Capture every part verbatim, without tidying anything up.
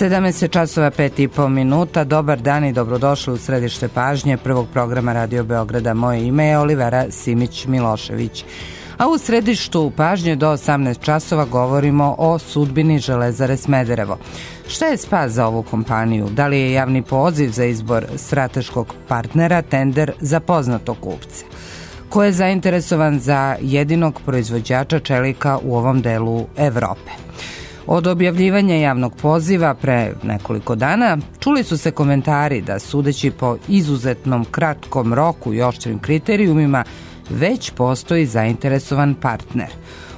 sedamnaest časova pet i po minuta. Dobar dan i dobrodošli u središte pažnje prvog programa Radio Beograda. Moje ime je Olivera Simić-Milošević. A u središtu pažnje do osamnaest časova govorimo o sudbini Železare Smederevo. Šta je spas za ovu kompaniju? Da li je javni poziv za izbor strateškog partnera tender za poznatog kupca? Ko je zainteresovan za jedinog proizvođača čelika u ovom delu Evrope? Od objavljivanja javnog poziva pre nekoliko dana čuli su se komentari da, sudeći po izuzetnom kratkom roku i oštrim kriterijumima, već postoji zainteresovan partner.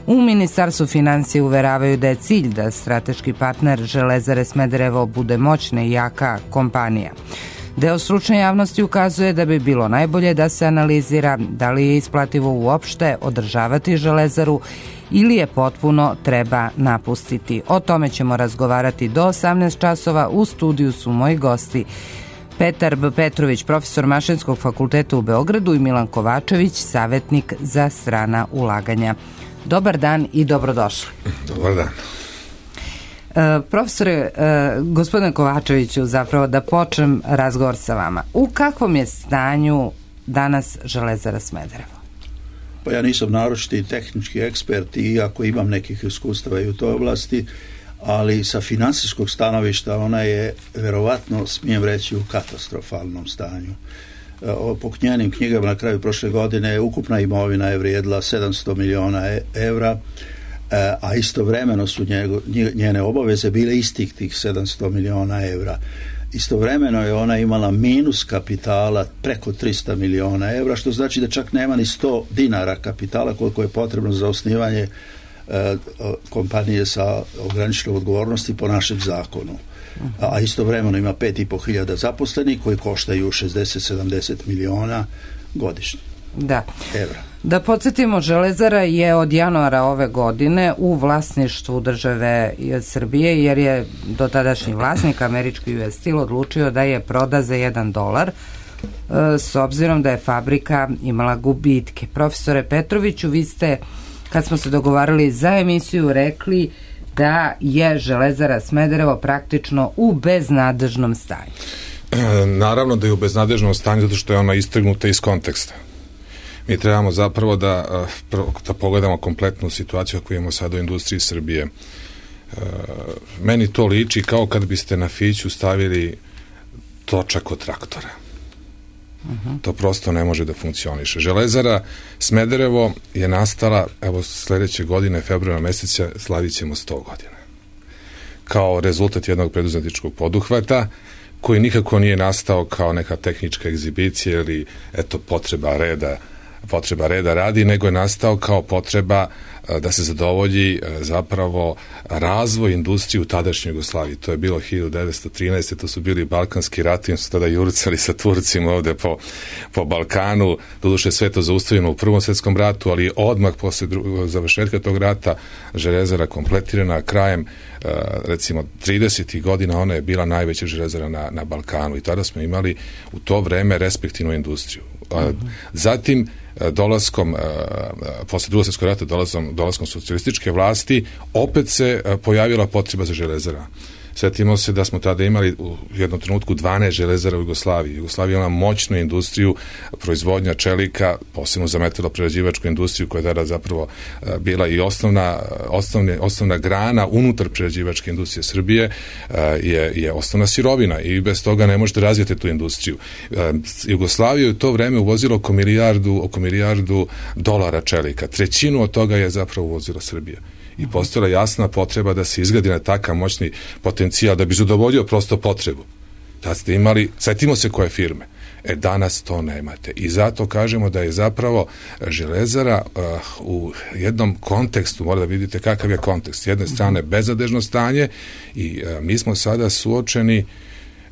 U Ministarstvu finansija uveravaju da je cilj da strateški partner Železare Smederevo bude moćna i jaka kompanija. Deo stručne javnosti ukazuje da bi bilo najbolje da se analizira da li je isplativo uopšte održavati Železaru ili je potpuno treba napustiti. O tome ćemo razgovarati do osamnaest časova. U studiju su moji gosti Petar B. Petrović, profesor Mašinskog fakulteta u Beogradu, i Milan Kovačević, savjetnik za strana ulaganja. Dobar dan i dobrodošli. Dobar dan. E, profesore, e, gospodine Kovačeviću, zapravo da počnem razgovor sa vama. U kakvom je stanju danas Železara Smederevo? Pa ja nisam naročiti tehnički ekspert, iako imam nekih iskustava i u toj oblasti, ali sa finansijskog stanovišta ona je, verovatno smijem reći, u katastrofalnom stanju. Po njenim knjigama na kraju prošle godine ukupna imovina je vrijedila sedamsto miliona evra, a istovremeno su njene obaveze bile istih tih sedamsto miliona evra. Istovremeno je ona imala minus kapitala preko tristo miliona evra, što znači da čak nema ni sto dinara kapitala koliko je potrebno za osnivanje e, kompanije sa ograničenom odgovornosti po našem zakonu. A, a istovremeno ima pet i po hiljada zaposlenih koji koštaju šezdeset do sedamdeset miliona godišnje. Da. Evra. Da podsjetimo, Železara je od januara ove godine u vlasništvu države Srbije, jer je dotadašnji vlasnik, američki U S Steel, odlučio da je proda za jedan dolar, s obzirom da je fabrika imala gubitke. Profesore Petroviću, vi ste, kad smo se dogovarali za emisiju, rekli da je Železara Smederevo praktično u beznadežnom stanju. Naravno da je u beznadežnom stanju zato što je ona istrgnuta iz konteksta. Mi trebamo zapravo da, da pogledamo kompletnu situaciju koju imamo sada u industriji Srbije. Meni to liči kao kad biste na fiću stavili točak od traktora. Uh-huh. To prosto ne može da funkcioniše. Železara Smederevo je nastala, evo sledeće godine, februara meseca, slavit ćemo sto godina. Kao rezultat jednog preduzetničkog poduhvata, koji nikako nije nastao kao neka tehnička egzibicija ili eto potreba reda potreba reda radi, nego je nastao kao potreba da se zadovolji zapravo razvoj industrije u tadašnjoj Jugoslaviji. To je bilo hiljadu devetsto trinaeste. To su bili balkanski rati, oni su tada jurcali sa Turcima ovde po, po Balkanu. Doduše sve to zaustavljeno u Prvom svetskom ratu, ali odmah posle dru, završetka tog rata Železara kompletirana krajem recimo tridesetih godina. Ona je bila najveća železara na, na Balkanu i tada smo imali u to vreme respektivnu industriju. Mm-hmm. Zatim dolaskom, posle Drugog svjetskog rata, dolaskom, dolaskom socijalističke vlasti, opet se pojavila potreba za železara. Sjetimo se da smo tada imali u jednom trenutku dvanaest železara u Jugoslaviji. Jugoslavija ima moćnu industriju proizvodnja čelika, posebno za metaloprerađivačku industriju, koja je tada zapravo bila i osnovna, osnovne, osnovna grana unutar prerađivačke industrije Srbije, je, je osnovna sirovina i bez toga ne možete razvijati tu industriju. Jugoslavija je u to vreme uvozila oko milijardu, oko milijardu dolara čelika. Trećinu od toga je zapravo uvozila Srbija. I postojala jasna potreba da se izgradi na takav moćni potencijal da bi zadovoljio prosto potrebu. Tad ste imali, setimo se koje firme. E, danas to nemate. I zato kažemo da je zapravo Železara uh, u jednom kontekstu, mora da vidite kakav je kontekst. S jedne strane beznadežno stanje i uh, mi smo sada suočeni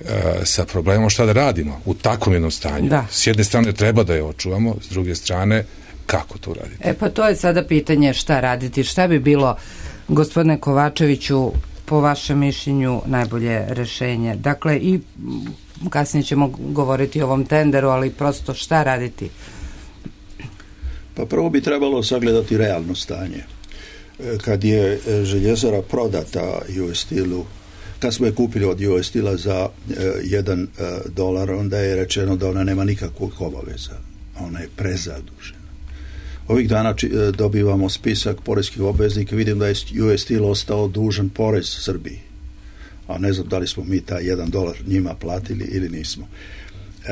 uh, sa problemom šta da radimo u takvom jednom stanju. Da. S jedne strane treba da je očuvamo, s druge strane kako to raditi? E pa to je sada pitanje šta raditi. Šta bi bilo, gospodine Kovačeviću, po vašem mišljenju najbolje rešenje? Dakle, i kasnije ćemo govoriti o ovom tenderu, ali prosto šta raditi? Pa prvo bi trebalo sagledati realno stanje. Kad je Željezara prodata U S Steelu kad smo je kupili od U S Steel-a za uh, jedan uh, dolar, onda je rečeno da ona nema nikakvih obaveza. Ona je prezadužena. Ovih dana či, uh, dobivamo spisak poreskih obveznika, vidim da je U S Steel ostao dužan porez Srbiji. A ne znam da li smo mi taj jedan dolar njima platili ili nismo. Uh,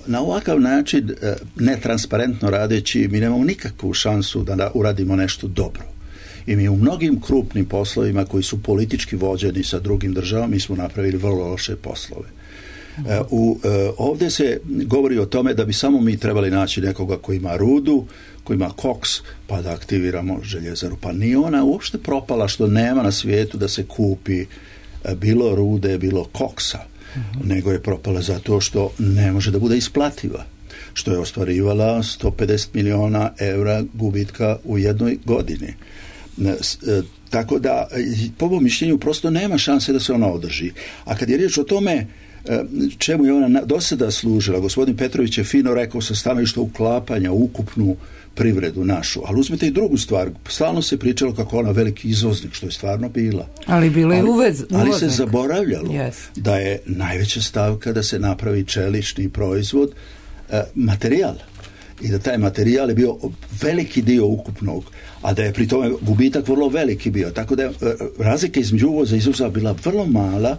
na ovakav način, uh, netransparentno radeći, mi nemamo nikakvu šansu da uradimo nešto dobro. I mi u mnogim krupnim poslovima koji su politički vođeni sa drugim državama, mi smo napravili vrlo loše poslove. Uh, u, uh, ovdje se govori o tome da bi samo mi trebali naći nekoga koji ima rudu, koji ima koks, pa da aktiviramo željezaru. Pa nije ona uopšte propala što nema na svijetu da se kupi uh, bilo rude, bilo koksa, uh-huh. nego je propala zato što ne može da bude isplativa, što je ostvarivala sto pedeset miliona evra gubitka u jednoj godini. Tako da, po mom mišljenju, prosto nema šanse da se ona održi. A kad je riječ o tome čemu je ona do sada služila, gospodin Petrović je fino rekao sa stanovišta uklapanja u ukupnu privredu našu. Ali uzmite i drugu stvar. Stalno se pričalo kako ona veliki izvoznik, što je stvarno bila. Ali bilo je uvez, uvoznik. Ali se zaboravljalo yes. da je najveća stavka da se napravi čelični proizvod, materijal. I da taj materijal je bio veliki dio ukupnog, a da je pri tome gubitak vrlo veliki bio. Tako da je razlika između uvoza i izvoza bila vrlo mala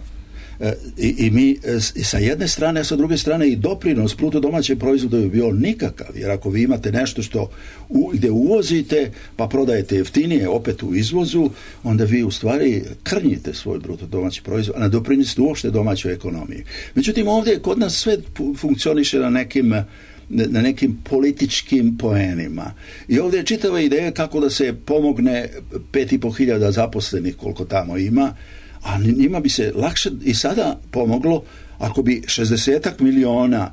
i, i mi i sa jedne strane, a sa druge strane i doprinos bruto domaćeg proizvoda je bio nikakav. Jer ako vi imate nešto što u, gdje uvozite pa prodajete jeftinije opet u izvozu, onda vi u stvari krnjite svoj bruto domaći proizvod, a ne doprinosite uopšte domaćoj ekonomiji. Međutim, ovdje kod nas sve funkcioniše na nekim na nekim političkim poenima. I ovdje je čitava ideja kako da se pomogne pet i po hiljada zaposlenih koliko tamo ima, a njima bi se lakše i sada pomoglo ako bi šezdesetak miliona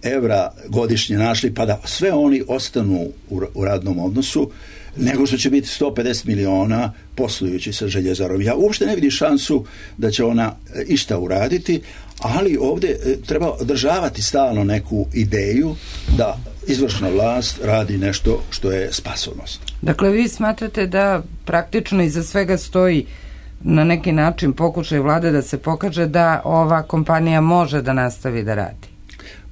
evra godišnje našli pa da sve oni ostanu u, u radnom odnosu, nego što će biti sto pedeset miliona poslujući sa željezarom. Ja uopšte ne vidim šansu da će ona išta uraditi, ali ovdje treba održavati stalno neku ideju da izvršna vlast radi nešto što je spasonosno. Dakle, vi smatrate da praktično iza svega stoji na neki način pokušaj vlade da se pokaže da ova kompanija može da nastavi da radi?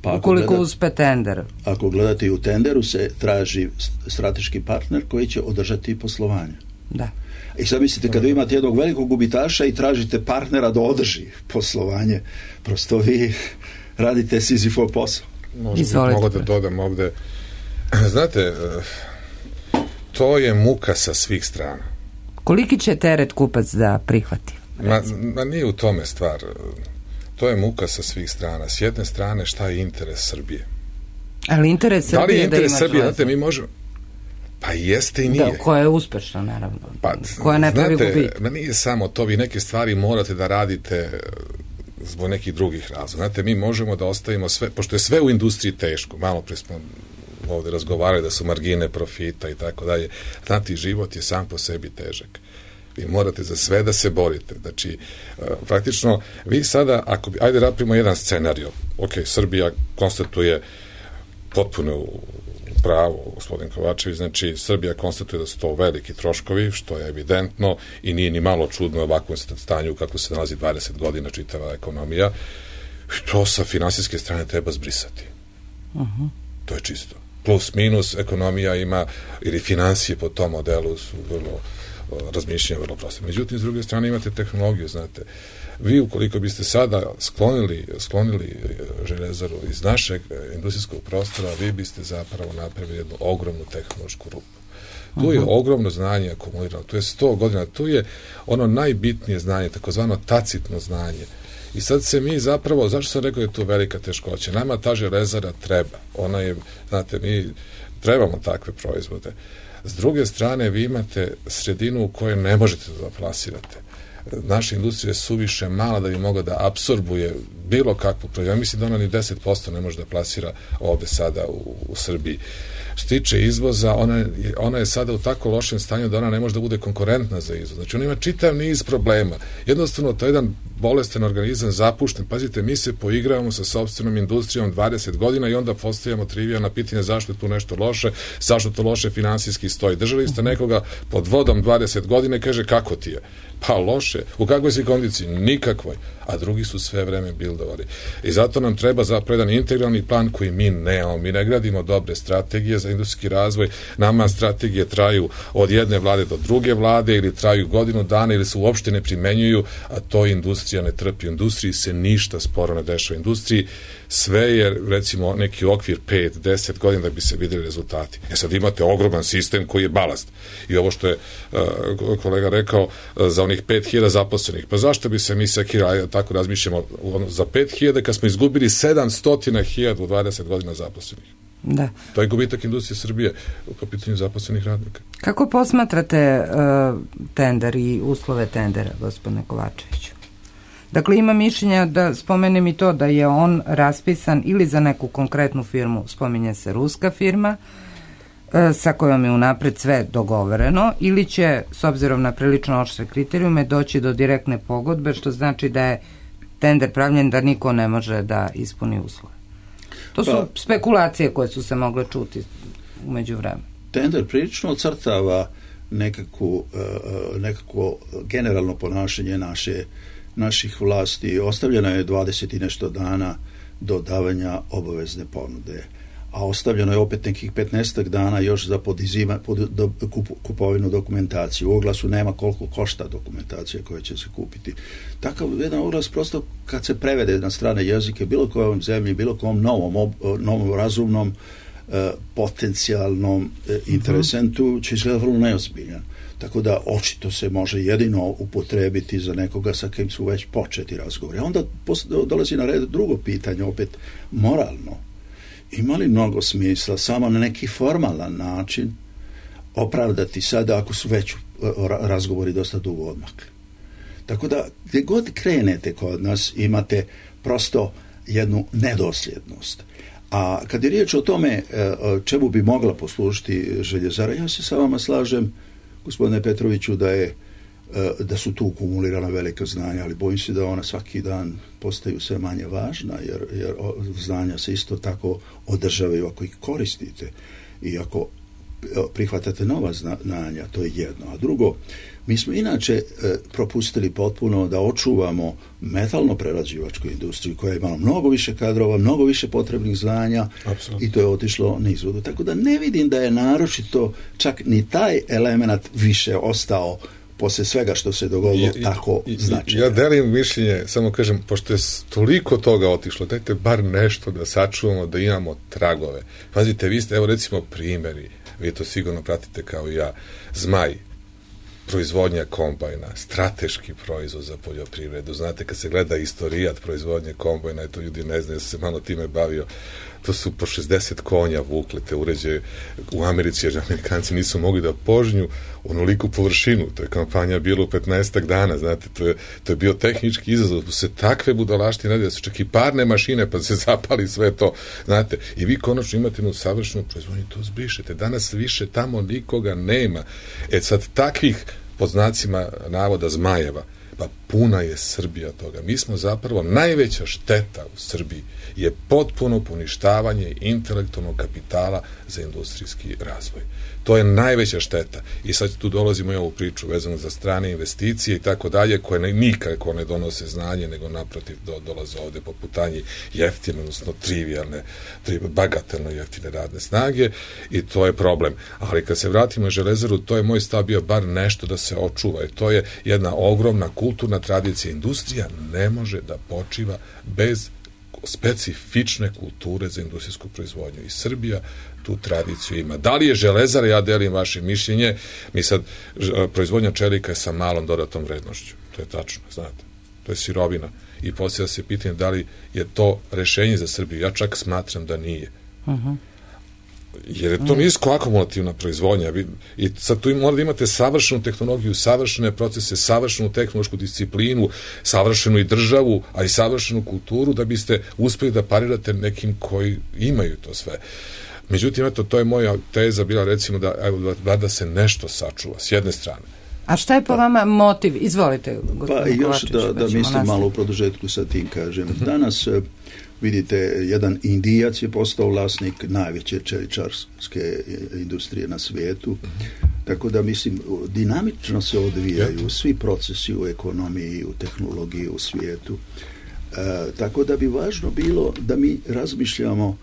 Pa ukoliko gledat, uspe tender. Ako gledate i u tenderu se traži strateški partner koji će održati poslovanje. Da. I sad mislite, kada imate jednog velikog gubitaša i tražite partnera da održi poslovanje, prosto vi radite Sizifov posao. Možda mogu da dodam ovde. Znate, to je muka sa svih strana. Koliki će teret kupac da prihvati? Ma, ma nije u tome stvar. To je muka sa svih strana. S jedne strane, šta je interes Srbije? Ali interes Srbije da li je interes da Srbije, znate, mi možemo... Pa jeste i nije. Da, koja je uspešna, naravno. Pa, koja ne pravi gubitke. Znate, nije samo to, vi neke stvari morate da radite zbog nekih drugih razloga. Znate, mi možemo da ostavimo sve, pošto je sve u industriji teško, malo pre smo ovde razgovarali da su margine profita i tako dalje. Znate, život je sam po sebi težak. Vi morate za sve da se borite. Znači, uh, praktično, vi sada, ako bi, ajde napravimo jedan scenario. Ok, Srbija konstatuje potpuno u pravu, gospodin Kovačević, znači, Srbija konstatuje da su to veliki troškovi, što je evidentno i nije ni malo čudno u ovakvom stanju kako se nalazi dvadeset godina čitava ekonomija. To sa finansijske strane treba zbrisati. Uh-huh. To je čisto. Plus, minus, ekonomija ima, ili finansije po tom modelu su vrlo razmišljanje vrlo prosto. Međutim, s druge strane imate tehnologiju, znate. Vi, ukoliko biste sada sklonili, sklonili željezaru iz našeg industrijskog prostora, vi biste zapravo napravili jednu ogromnu tehnološku rupu. Tu uh-huh. je ogromno znanje akumulirano, tu je sto godina, tu je ono najbitnije znanje, takozvano tacitno znanje. I sad se mi zapravo, zašto sam rekao da je tu velika teškoća? Nama ta železara treba. Ona je, znate, mi trebamo takve proizvode. S druge strane, vi imate sredinu u kojoj ne možete da plasirate. Naša industrija je suviše mala da bi mogla da apsorbuje bilo kakvu proizvodnju. Ja mislim da ona ni deset posto ne može da plasira ovde sada u, u Srbiji. Što tiče izvoza, ona je, ona je sada u tako lošem stanju da ona ne može da bude konkurentna za izvoz. Znači, ona ima čitav niz problema. Jednostavno, to je jedan bolestan organizam, zapušten. Pazite, mi se poigravamo sa sopstvenom industrijom dvadeset godina i onda postavljamo trivijalna pitanja zašto je tu nešto loše, zašto to loše finansijski stoji. Držali ste nekoga pod vodom dvadeset godina i kaže kako ti je? Pa loše. U kakvoj si kondiciji? Nikakvoj. A drugi su sve vreme bildovali. I zato nam treba zapravo jedan integralni plan koji mi nemamo. Mi ne gradimo dobre strategije za industrijski razvoj. Nama strategije traju od jedne vlade do druge vlade ili traju godinu dana ili se uopšte ne primenjuju, a to industrija ne trpi. U industriji se ništa sporo ne dešava. U industriji sve je, recimo, neki okvir pet do deset godina da bi se videli rezultati. E sad imate ogroman sistem koji je balast. I ovo što je uh, kolega rekao, uh, za onih pet hiljada zaposlenih. Pa zašto bi se mi sekirali, tako razmišljamo, za pet hiljada kad smo izgubili sedamsto hiljada u dvadeset godina zaposlenih? Da. To je gubitak industrije Srbije po pitanju zaposlenih radnika. Kako posmatrate uh, tender i uslove tendera, gospodine Kovačeviću? Dakle, ima mišljenja da, spomenem i to, da je on raspisan ili za neku konkretnu firmu, spominje se ruska firma, sa kojom je unapred sve dogovoreno, ili će, s obzirom na prilično oštre kriterijume, doći do direktne pogodbe, što znači da je tender pravljen da niko ne može da ispuni uslove. To su pa, spekulacije koje su se mogle čuti umeđu vremenu. Tender prilično ocrtava nekakvu, nekakvo generalno ponašanje naše, naših vlasti. Ostavljeno je dvadeset i nešto dana do davanja obavezne ponude, a ostavljeno je opet nekih petnaestak dana još za podizima, pod, do, kup, kupovinu dokumentacije. U oglasu nema koliko košta dokumentacija koja će se kupiti. Takav jedan oglas prosto kad se prevede na strane jezike, bilo kojom zemlji, bilo kojom novom, ob, novom razumnom, e, potencijalnom e, interesentu će izgledati vrlo neozbiljan. Tako da očito se može jedino upotrebiti za nekoga sa kim su već početi razgovori. A onda dolazi na red drugo pitanje, opet moralno. Ima li mnogo smisla samo na neki formalan način opravdati sada ako su već razgovori dosta dugo odmakli? Tako da gdje god krenete kod nas imate prosto jednu nedosljednost. A kad je riječ o tome čemu bi mogla poslužiti željezara, ja se sa vama slažem, gospodine Petroviću, da je da su tu kumulirana velika znanja, ali bojim se da ona svaki dan postaju sve manje važna, jer, jer znanja se isto tako održavaju ako ih koristite i ako prihvatate nova znanja, to je jedno. A drugo, mi smo inače e, propustili potpuno da očuvamo metalno-prerađivačku industriju koja je imala mnogo više kadrova, mnogo više potrebnih znanja. Absolutno. I to je otišlo nizvodu. Tako da ne vidim da je naročito čak ni taj element više ostao posle svega što se dogodilo I, tako i, značajno. Ja delim mišljenje, samo kažem, pošto je toliko toga otišlo, dajte bar nešto da sačuvamo, da imamo tragove. Pazite, vi ste, evo recimo primjeri, vi to sigurno pratite kao i ja, Zmaj, proizvodnja kombajna, strateški proizvod za poljoprivredu. Znate, kad se gleda istorijat proizvodnje kombajna, to ljudi ne znaju, ja sam se malo time bavio, to su po šezdeset konja vukle te uređaje u Americi, jer Amerikanci nisu mogli da požnju onoliku površinu. To je kampanja bila u petnaestak dana, znate, to je, to je bio tehnički izazov, se takve budalaštine radi, da su čak i parne mašine, pa se zapali sve to, znate, i vi konačno imate jednu savršenu proizvodnju, to zbrišete. Danas više tamo nikoga nema. E sad, takvih, pod znacima navoda, zmajeva, pa puna je Srbija toga. Mi smo zapravo, najveća šteta u Srbiji je potpuno poništavanje intelektualnog kapitala za industrijski razvoj. To je najveća šteta. I sad tu dolazimo i ovu priču vezano za strane investicije i tako dalje, koje ne, nikako ne donose znanje, nego naprotiv do, dolaze ovde po putanji jeftine, odnosno trivialne, tri, bagatelno jeftine radne snage, i to je problem. Ali kad se vratimo na železaru, to je moj stav bio bar nešto da se očuva. I to je jedna ogromna kulturna tradicija. Industrija ne može da počiva bez specifične kulture za industrijsku proizvodnju. I Srbija tu tradiciju ima. Da li je železara, ja delim vaše mišljenje, mi sad, proizvodnja čelika je sa malom dodatnom vrednošću. To je tačno, znate. To je sirovina. I poslije se pitanje da li je to rešenje za Srbiju. Ja čak smatram da nije. Uh-huh. Jer je to nisko akumulativna proizvodnja. I sad tu mora da imate savršenu tehnologiju, savršene procese, savršenu tehnološku disciplinu, savršenu i državu, a i savršenu kulturu da biste uspeli da parirate nekim koji imaju to sve. Međutim, eto, to je moja teza bila, recimo, da, da, da se nešto sačuva, s jedne strane. A šta je po pa, vama motiv? Izvolite, gospodin Pa još Kovačić, da, da mislim nastaviti. Malo u produžetku sa tim kažem. Uh-huh. Danas vidite, jedan Indijac je postao vlasnik najveće čeličarske industrije na svijetu, uh-huh. tako da mislim, dinamično se odvijaju uh-huh. svi procesi u ekonomiji, u tehnologiji, u svijetu. E, tako da bi važno bilo da mi razmišljamo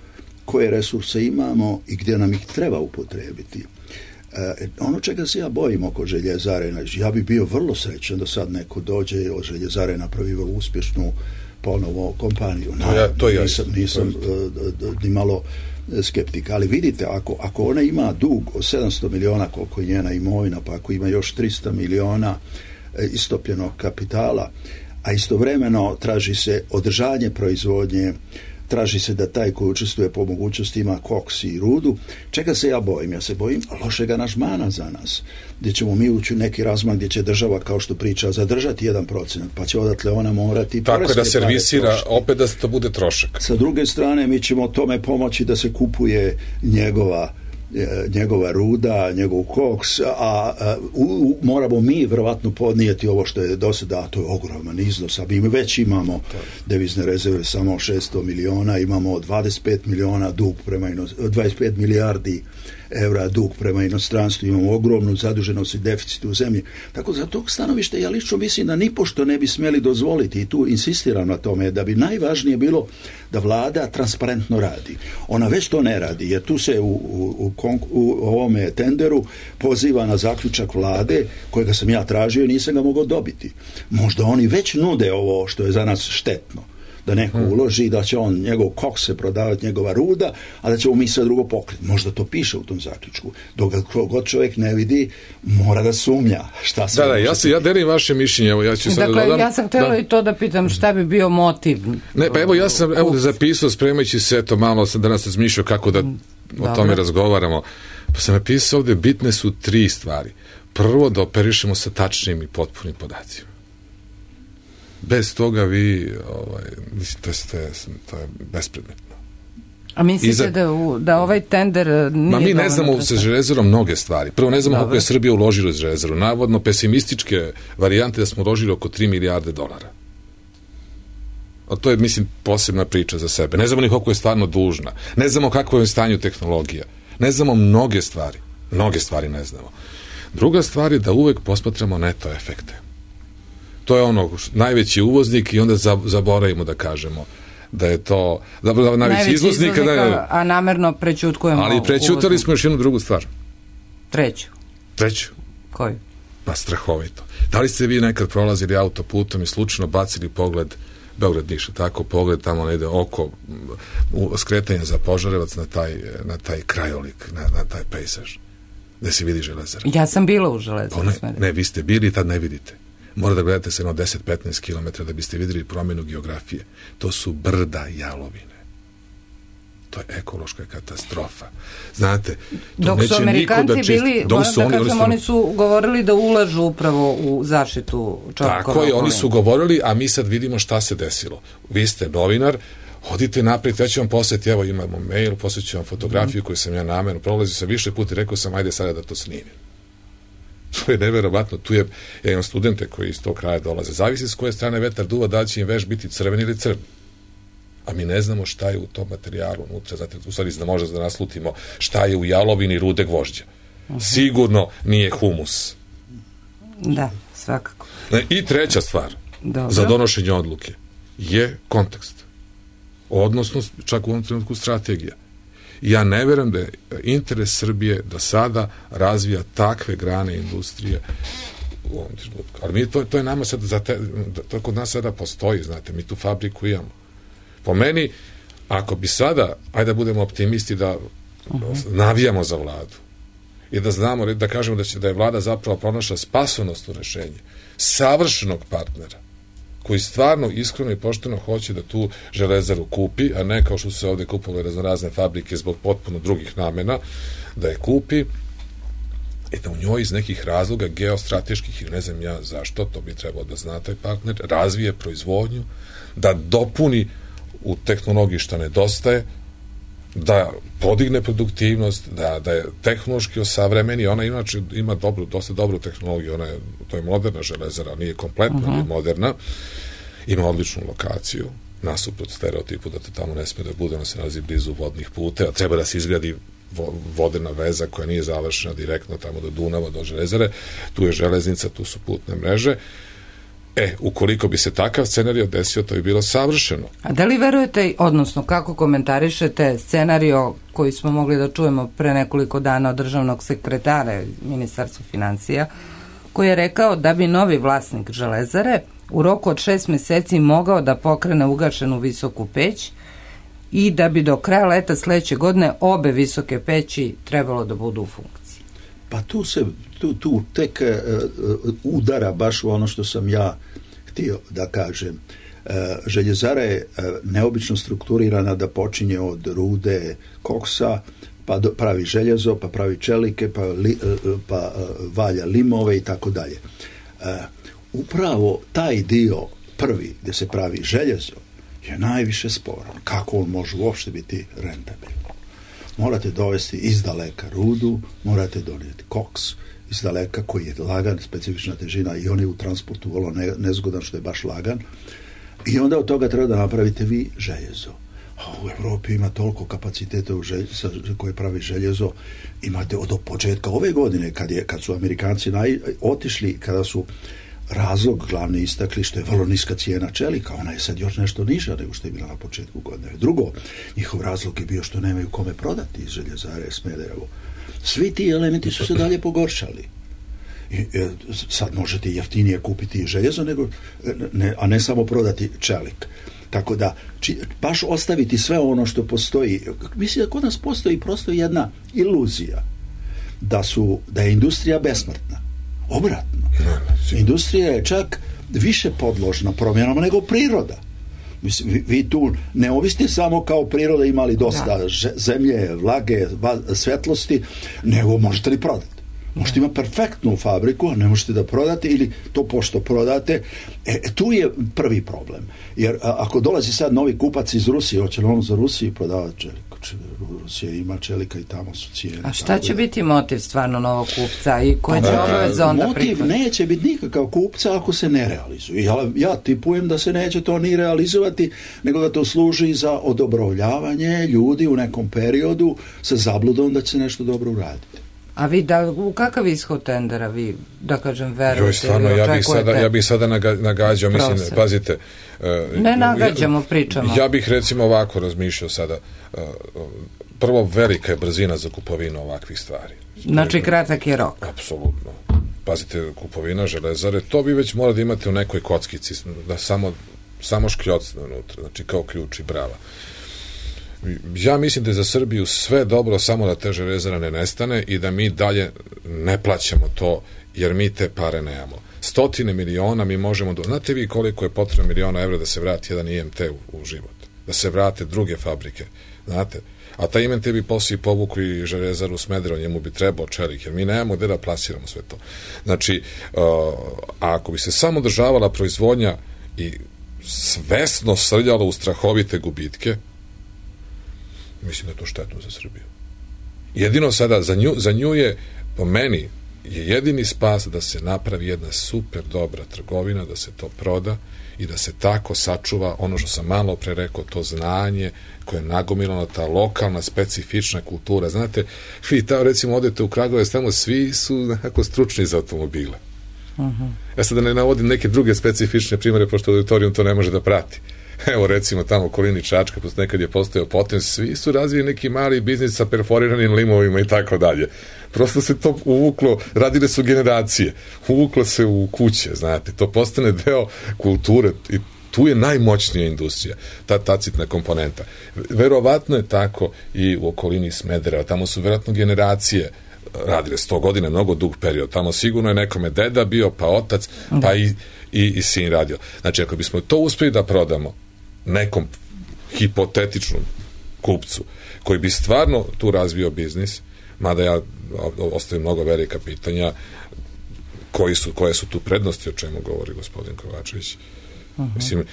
koje resurse imamo i gdje nam ih treba upotrijebiti. E, ono čega se ja bojim oko željezare, ja bi bio vrlo srećan da sad neko dođe i od željezare napravi vrlo uspješnu ponovo kompaniju. To ja, to ja nisam, nisam ni malo skeptik, ali vidite, ako, ako ona ima dug od sedamsto miliona koliko je njena imovina, pa ako ima još tristo miliona istopljenog kapitala, a istovremeno traži se održanje proizvodnje, traži se da taj koji učestvuje po mogućnosti ima koks i rudu. Čega se ja bojim? Ja se bojim lošeg aranžmana za nas, gdje ćemo mi ući u neki razman gdje će država, kao što priča, zadržati jedan procenat, pa će odatle ona morati... Tako je da servisira, opet da to bude trošak. Sa druge strane, mi ćemo tome pomoći da se kupuje njegova njegova ruda, njegov koks, a, a u, u, moramo mi vjerovatno podnijeti ovo što je do sada, a to je ogroman iznos, a mi već imamo devizne rezerve samo šesto miliona, imamo dvadeset pet miliona dug prema ino, dvadeset pet milijardi evra dug prema inostranstvu, imamo ogromnu zaduženost i deficit u zemlji. Tako za tog stanovišta ja lično mislim da nipošto ne bi smjeli dozvoliti, i tu insistiram na tome, da bi najvažnije bilo da vlada transparentno radi. Ona već to ne radi, jer tu se u, u, u, u ovome tenderu poziva na zaključak vlade, kojega sam ja tražio i nisam ga mogao dobiti. Možda oni već nude ovo što je za nas štetno, da neko uloži, da će on njegov koks se prodavati, njegova ruda, a da ćemo mi sve drugo pokriti. Možda to piše u tom zaključku. Dok god čovjek ne vidi, mora da sumnja šta se... Da, da, ja, se, ja delim vaše mišljenje. Evo, ja ću dakle, sad dodam, ja sam htjela da. i to da pitam šta bi bio motiv. Ne, pa evo, ja sam evo, zapisao, spremajući se, eto, malo sam danas razmišljao kako da Dobre. o tome razgovaramo. Pa sam napisao ovdje, bitne su tri stvari. Prvo, da operišemo sa tačnim i potpunim podacima. Bez toga vi, ovaj, to, je, to je bespredmetno. A mislite za, da, u, da ovaj tender nije... Ma mi ne znamo sa železarom mnoge stvari. Prvo, ne znamo Dobre. kako je Srbija uložila iz železaru. Navodno pesimističke varijante da smo uložili oko tri milijarde dolara. A to je, mislim, posebna priča za sebe. Ne znamo ni koliko je stvarno dužna. Ne znamo kako je stanju tehnologija. Ne znamo mnoge stvari. Mnoge stvari ne znamo. Druga stvar je da uvek posmatramo neto efekte. To je ono, najveći uvoznik i onda zaboravimo da kažemo da je to zapravo najveći izvoznik. Da, a namerno prećutkujemo. Ali prećutali smo još jednu drugu stvar. Treću. Treću. Koju? Pa strahovito. Da li ste vi nekad prolazili autoputom i slučajno bacili pogled Beograd-Niš, tako pogled tamo negde oko skretanja za Požarevac na taj, na taj krajolik, na, na taj pejsaž, gde se vidi Železara? Ja sam bila u Železaru. Ne, ne, vi ste bili i tad ne vidite. Mora da gledate se na deset do petnaest kilometara da biste vidjeli promjenu geografije. To su brda jalovine. To je ekološka katastrofa. Znate, to dok su Amerikanci da čist... bili, moram da kažem, oni, oni su govorili da ulažu upravo u zaštitu čovjekova. Tako je, oni su govorili, a mi sad vidimo šta se desilo. Vi ste novinar, odite naprijed, ja ću vam poslati, evo imamo mail, poslat ću vam fotografiju mm-hmm. koju sam ja namerno prolazio sam više puta i rekao sam, ajde sada da to snimim. To je neverovatno. Tu je, ja imam studente koji iz tog kraja dolaze. Zavisi s koje strane vetar duva, da će im veš biti crven ili crn. A mi ne znamo šta je u tom materijalu unutra. Znate, u stvari da možda da naslutimo šta je u jalovini rude gvožđa. Uh-huh. Sigurno nije humus. Da, svakako. I treća stvar Dobro. za donošenje odluke je kontekst. Odnosno, čak u ovom trenutku strategija. Ja ne verujem da je interes Srbije do sada razvija takve grane industrije u ovom trenutku. Ali mi to, to je nama sad, za te, to kod nas sada postoji, znate, mi tu fabriku imamo. Po meni, ako bi sada, ajde da budemo optimisti da uh-huh. navijamo za vladu i da znamo, da kažemo da će da je vlada zapravo pronašla spasonosno rešenje savršenog partnera koji stvarno iskreno i pošteno hoće da tu Železaru kupi, a ne kao što su se ovde kupovale raznorazne fabrike zbog potpuno drugih namena, da je kupi i da u njoj iz nekih razloga geostrateških ili ne znam ja zašto, to bi trebao da zna taj partner, razvije proizvodnju, da dopuni u tehnologiji što nedostaje, da podigne produktivnost, da, da je tehnološki osavremeni, ona inače ima dobru, dosta dobru tehnologiju, ona je, to je moderna železara, nije kompletna, uh-huh. ali moderna, ima odličnu lokaciju, nasuprot stereotipu da to tamo ne sme da bude, ona se nalazi blizu vodnih puteva, treba da se izgradi vodena veza koja nije završena direktno tamo do Dunava, do železare, tu je železnica, tu su putne mreže. E, ukoliko bi se takav scenario desio, to bi bilo savršeno. A da li verujete, odnosno kako komentarišete scenario koji smo mogli da čujemo pre nekoliko dana od državnog sekretara Ministarstva financija, koji je rekao da bi novi vlasnik železare u roku od šest meseci mogao da pokrene ugašenu visoku peć i da bi do kraja leta sledeće godine obe visoke peći trebalo da budu u funkciji? Pa tu se tu, tu tek uh, udara baš u ono što sam ja htio da kažem. Uh, željezara je uh, neobično strukturirana da počinje od rude koksa, pa do, pravi željezo, pa pravi čelike, pa, li, uh, pa uh, valja limove i tako dalje. Upravo taj dio prvi gdje se pravi željezo je najviše sporan. Kako on može uopšte biti rentabilan? Morate dovesti iz daleka rudu, morate donijeti koks iz daleka koji je lagan, specifična težina i on je u transportu vrlo ne, nezgodan što je baš lagan. I onda od toga treba da napravite vi željezo. A u Evropi ima toliko kapaciteta u želj, sa, koje pravi željezo. Imate od početka ove godine kad, je, kad su Amerikanci naj, otišli, kada su razlog glavni istakli što je vrlo niska cijena čelika, ona je sad još nešto niža nego što je bila na početku godine. Drugo, njihov razlog je bio što nemaju kome prodati iz Željezare Smederevo. Svi ti elementi su se dalje pogoršali. I, e, sad možete jeftinije kupiti željezo, nego, ne, a ne samo prodati čelik. Tako da, či, baš ostaviti sve ono što postoji. Mislim da kod nas postoji prosto jedna iluzija da, su, da je industrija besmrtna. Obratno. Industrija je čak više podložna promjenama nego priroda. Mislim, vi, vi tu ne ovisite samo kao priroda imali dosta da. zemlje, vlage, svetlosti, nego možete li prodati. Možete imati perfektnu fabriku, a ne možete da prodate ili to pošto prodate. E, tu je prvi problem. Jer a, ako dolazi sad novi kupac iz Rusije, hoće li on za Rusiju prodavati čelik? Rusija ima čelika i tamo su cijene. A šta će da... biti motiv stvarno novog kupca i koje će obaveze onda prihvatiti? Motiv neće biti nikakav kupca ako se ne realizuje. Ja, ja tipujem da se neće to ni realizovati, nego da to služi za odobrovljavanje ljudi u nekom periodu sa zabludom da će se nešto dobro uraditi. A vi da, u kakav ishod tendera vi, da kažem, verujete? Joj, stvarno, ja bih sada, ja bih sada naga, nagađao, mislim, Prosek. pazite. Uh, ne nagađamo, pričamo. Ja bih recimo ovako razmišljao sada. Uh, prvo, velika je brzina za kupovinu ovakvih stvari. Znači, kratak je rok. Apsolutno. Pazite, kupovina železare, to vi već mora da imate u nekoj kockici, da samo, samo škljocne unutra, znači kao ključ i brava. Ja mislim da je za Srbiju sve dobro samo da te železara ne nestane i da mi dalje ne plaćamo to, jer mi te pare nemamo. Stotine miliona mi možemo... Do... Znate vi koliko je potrebno miliona evra da se vrati jedan I M T u, u život? Da se vrate druge fabrike, znate? A taj I M T bi poslije povukli i železaru Smederevo, njemu bi trebao čelik, jer mi nemamo gde da plasiramo sve to. Znači, uh, a ako bi se samo državala proizvodnja i svesno srljalo u strahovite gubitke, mislim da je to štetno za Srbiju. Jedino sada, za nju, za nju je, po meni, je jedini spas da se napravi jedna super dobra trgovina, da se to proda i da se tako sačuva ono što sam malo pre rekao, to znanje koje je nagomilano, ta lokalna specifična kultura. Znate, vi tamo recimo odete u Kragujevac, tamo svi su nekako stručni za automobile. Uh-huh. Ja sad da ne navodim neke druge specifične primere, pošto auditorijum to ne može da prati. Evo recimo tamo okolini Čačka, posto nekad je postojao Potens, svi su razvili neki mali biznis sa perforiranim limovima i tako dalje. Prosto se to uvuklo, radile su generacije, uvuklo se u kuće, znate, to postane deo kulture i tu je najmoćnija industrija, ta tacitna komponenta. Verovatno je tako i u okolini Smedereva, tamo su verovatno generacije radile sto godina, mnogo dug period, tamo sigurno je nekome deda bio, pa otac, pa i, i, i sin radio. Znači, ako bismo to uspeli da prodamo nekom hipotetičnom kupcu koji bi stvarno tu razvio biznis, mada ja ostavim mnogo velika pitanja koji su, koje su tu prednosti o čemu govori gospodin Kovačević. Uh-huh. Mislim,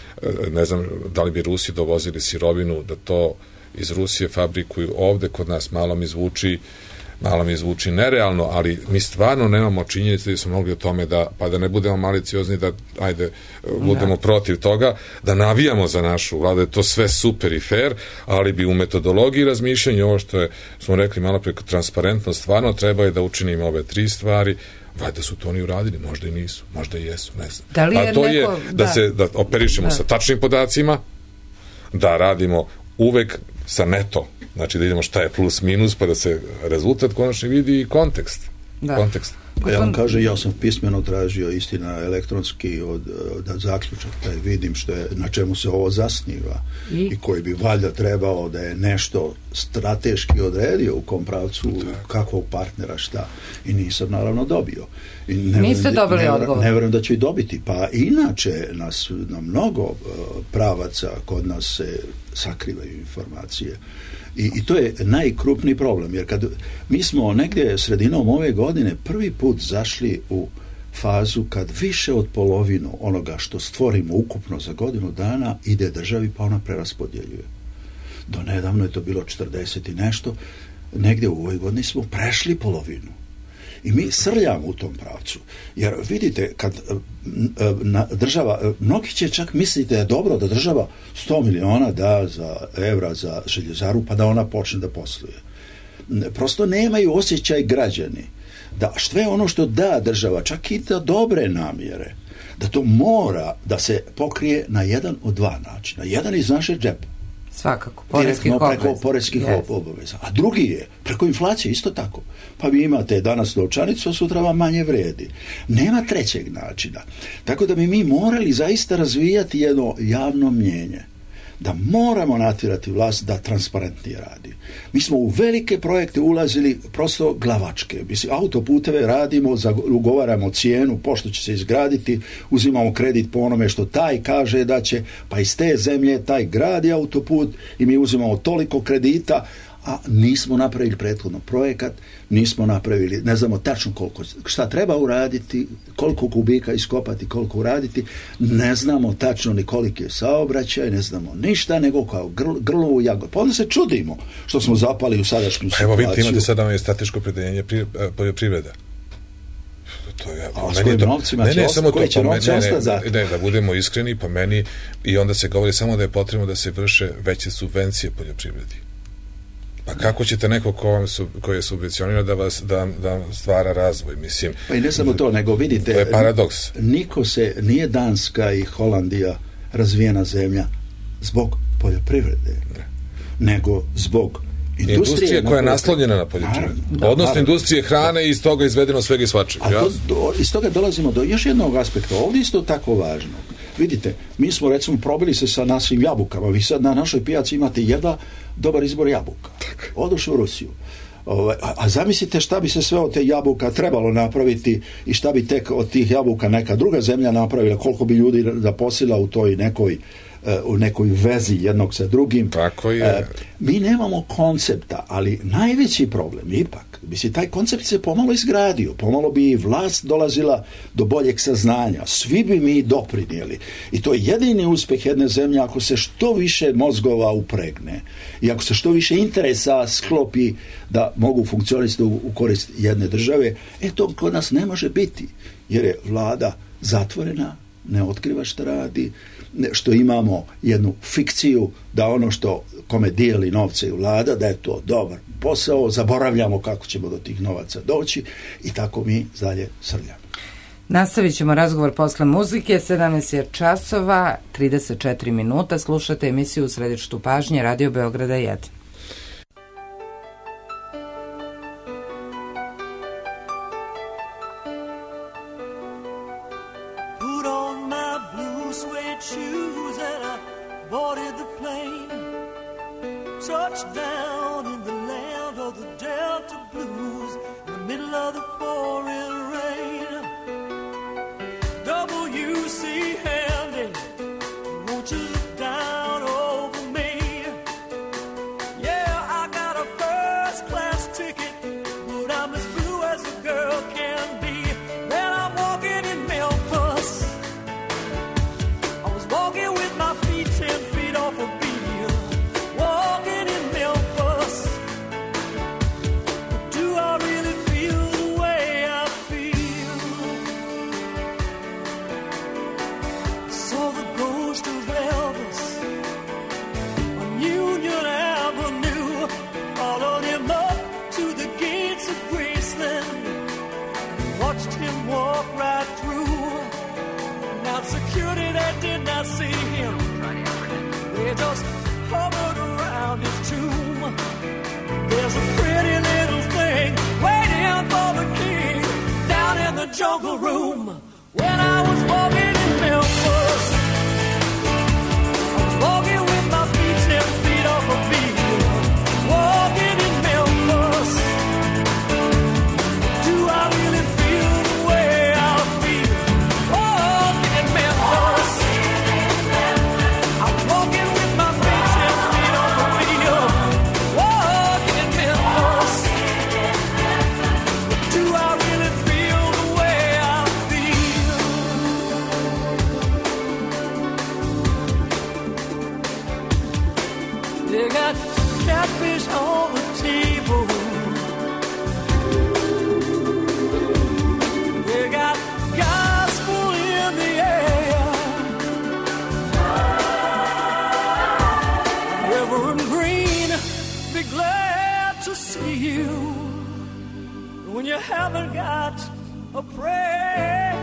ne znam da li bi Rusi dovozili sirovinu da to iz Rusije fabrikuju ovde, kod nas malo mi zvuči malo mi zvuči nerealno, ali mi stvarno nemamo činjenice da smo mogli o tome da, pa da ne budemo maliciozni, da ajde, budemo da. protiv toga, da navijamo za našu vladu, je to sve super i fair, ali bi u metodologiji razmišljanja, ovo što je, smo rekli malo preko transparentno, stvarno treba je da učinimo ove tri stvari. Valjda su to oni uradili, možda i nisu, možda i jesu, ne znam. Da li je A to neko, je da, da se da operišemo da. sa tačnim podacima, da radimo uvek sa neto, znači da idemo šta je plus minus, pa da se rezultat konačno vidi i kontekst. Da. kontekst. Pa ja vam kažem, ja sam pismeno tražio, istina elektronski, od, da zaključak taj vidim što je, na čemu se ovo zasniva i, i koji bi valjda trebao da je nešto strateški odredio u kom pravcu, kakvog partnera, šta. I nisam naravno dobio. I ne Niste dobili ne, odgovor? Ne verujem da ću i dobiti. Pa inače nas na mnogo pravaca kod nas se sakrivaju informacije. I, I to je najkrupniji problem, jer kad mi smo negdje sredinom ove godine prvi put zašli u fazu kad više od polovinu onoga što stvorimo ukupno za godinu dana ide državi, pa ona preraspodjeljuje. Do nedavno je to bilo četrdeset i nešto, negdje u ovoj godini smo prešli polovinu. I mi srljamo u tom pravcu. Jer vidite, kad na, država, mnogi će čak misliti da je dobro da država sto miliona da za evra za željezaru, pa da ona počne da posluje. Prosto nemaju osjećaj građani da sve ono što da država, čak i da dobre namjere, da to mora da se pokrije na jedan od dva načina. Jedan iz naše džepa. Svakako, poreskih obaveza. Preko poreskih yes. obaveza. A drugi je preko inflacije, isto tako. Pa vi imate danas novčanicu, a sutra vam manje vredi. Nema trećeg načina. Tako da bi mi morali zaista razvijati jedno javno mnjenje. Da moramo natjerati vlast da transparentnije radi. Mi smo u velike projekte ulazili prosto glavačke. Mislim, autoputeve radimo, ugovaramo cijenu, pošto će se izgraditi, uzimamo kredit po onome što taj kaže da će, pa iz te zemlje taj gradi autoput i mi uzimamo toliko kredita, a nismo napravili prethodno projekat, nismo napravili, ne znamo tačno koliko, šta treba uraditi, koliko kubika iskopati, koliko uraditi, ne znamo tačno ni koliki je saobraćaj, ne znamo ništa, nego kao grl, grlo u jago. Pa onda se čudimo što smo zapali u sadašnju situaciju. Evo vidite, imate sada je strateško opredeljenje poljoprivreda. To je, a s kojim novcima ne, će, ne, samo koji to, će pa novci ostati za ne, ne, da budemo iskreni, pa meni, i onda se govori samo da je potrebno da se vrše veće subvencije poljoprivredi. Pa kako ćete neko ko, vam su, ko je subvencionira da vas da, da stvara razvoj, mislim. Pa i ne samo to, nego vidite, to je paradoks. Niko se, nije Danska i Holandija razvijena zemlja zbog poljoprivrede, ne. nego zbog industrije, industrije koja je naslonjena na poljoprivredu. Da, odnosno naravno. Industrije hrane i iz toga izvedeno svega i svačeg. A to, do, iz toga dolazimo do još jednog aspekta, ovdje isto tako važnog. Vidite, mi smo recimo probili se sa našim jabukama, vi sad na našoj pijaci imate jedva dobar izbor jabuka. Odošli u Rusiju. Ovaj, a, a zamislite šta bi se sve od te jabuka trebalo napraviti i šta bi tek od tih jabuka neka druga zemlja napravila, koliko bi ljudi zaposlila u toj nekoj u nekoj vezi jednog sa drugim. Tako je. E, mi nemamo koncepta, ali najveći problem ipak, bi se taj koncept se pomalo izgradio, pomalo bi i vlast dolazila do boljeg saznanja, svi bi mi doprinijeli. I to je jedini uspjeh jedne zemlje ako se što više mozgova upregne i ako se što više interesa sklopi da mogu funkcionisati u, u korist jedne države, e to kod nas ne može biti, jer je vlada zatvorena, ne otkriva šta radi, što imamo jednu fikciju da ono što kome dijeli novce i vlada, da je to dobar posao, zaboravljamo kako ćemo do tih novaca doći i tako mi dalje srljamo. Nastavit ćemo razgovor posle muzike, sedamnaest je časova, trideset četiri minuta, slušate emisiju U središtu pažnje, Radio Beograda jedan. jungle room when I was walking in Memphis. I was walking with my feet ten feet off a beat. Walking in Memphis. Do I really feel the way I feel? Walking in Memphis. I was walking with my feet ten feet off a beat. Walking in Memphis. Do I really feel the way I feel? They got catfish on the table. They got gospel in the air. Reverend Green, be glad to see you when you haven't got a prayer.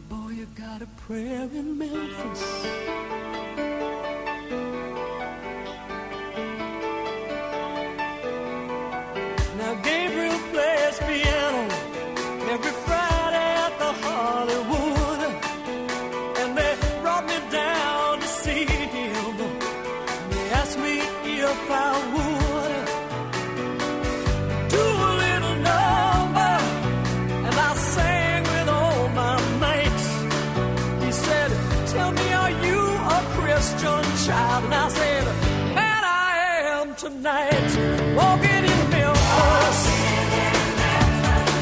Boy, you got a prayer in Memphis. Now Gabriel plays piano every Friday at the Hollywood, and they brought me down to see him. They asked me if I would do a little number, and I sang with all my mates. He said, tell me, are you a Christian child? And I said, man, I am tonight. Walking in Memphis.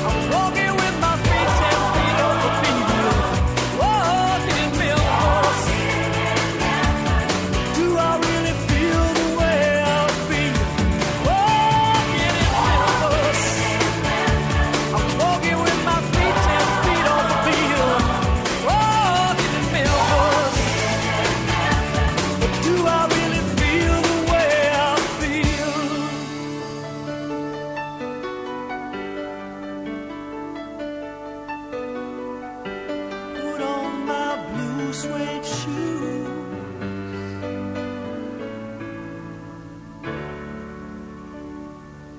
I was walking with my feet ten feet off the beat. Walking in Memphis. Do I really feel the way I feel? Walking in Memphis. I was walking with my feet ten feet off the beat. Walking in Memphis. But do I really feel the way I feel? Put on my blue suede shoes.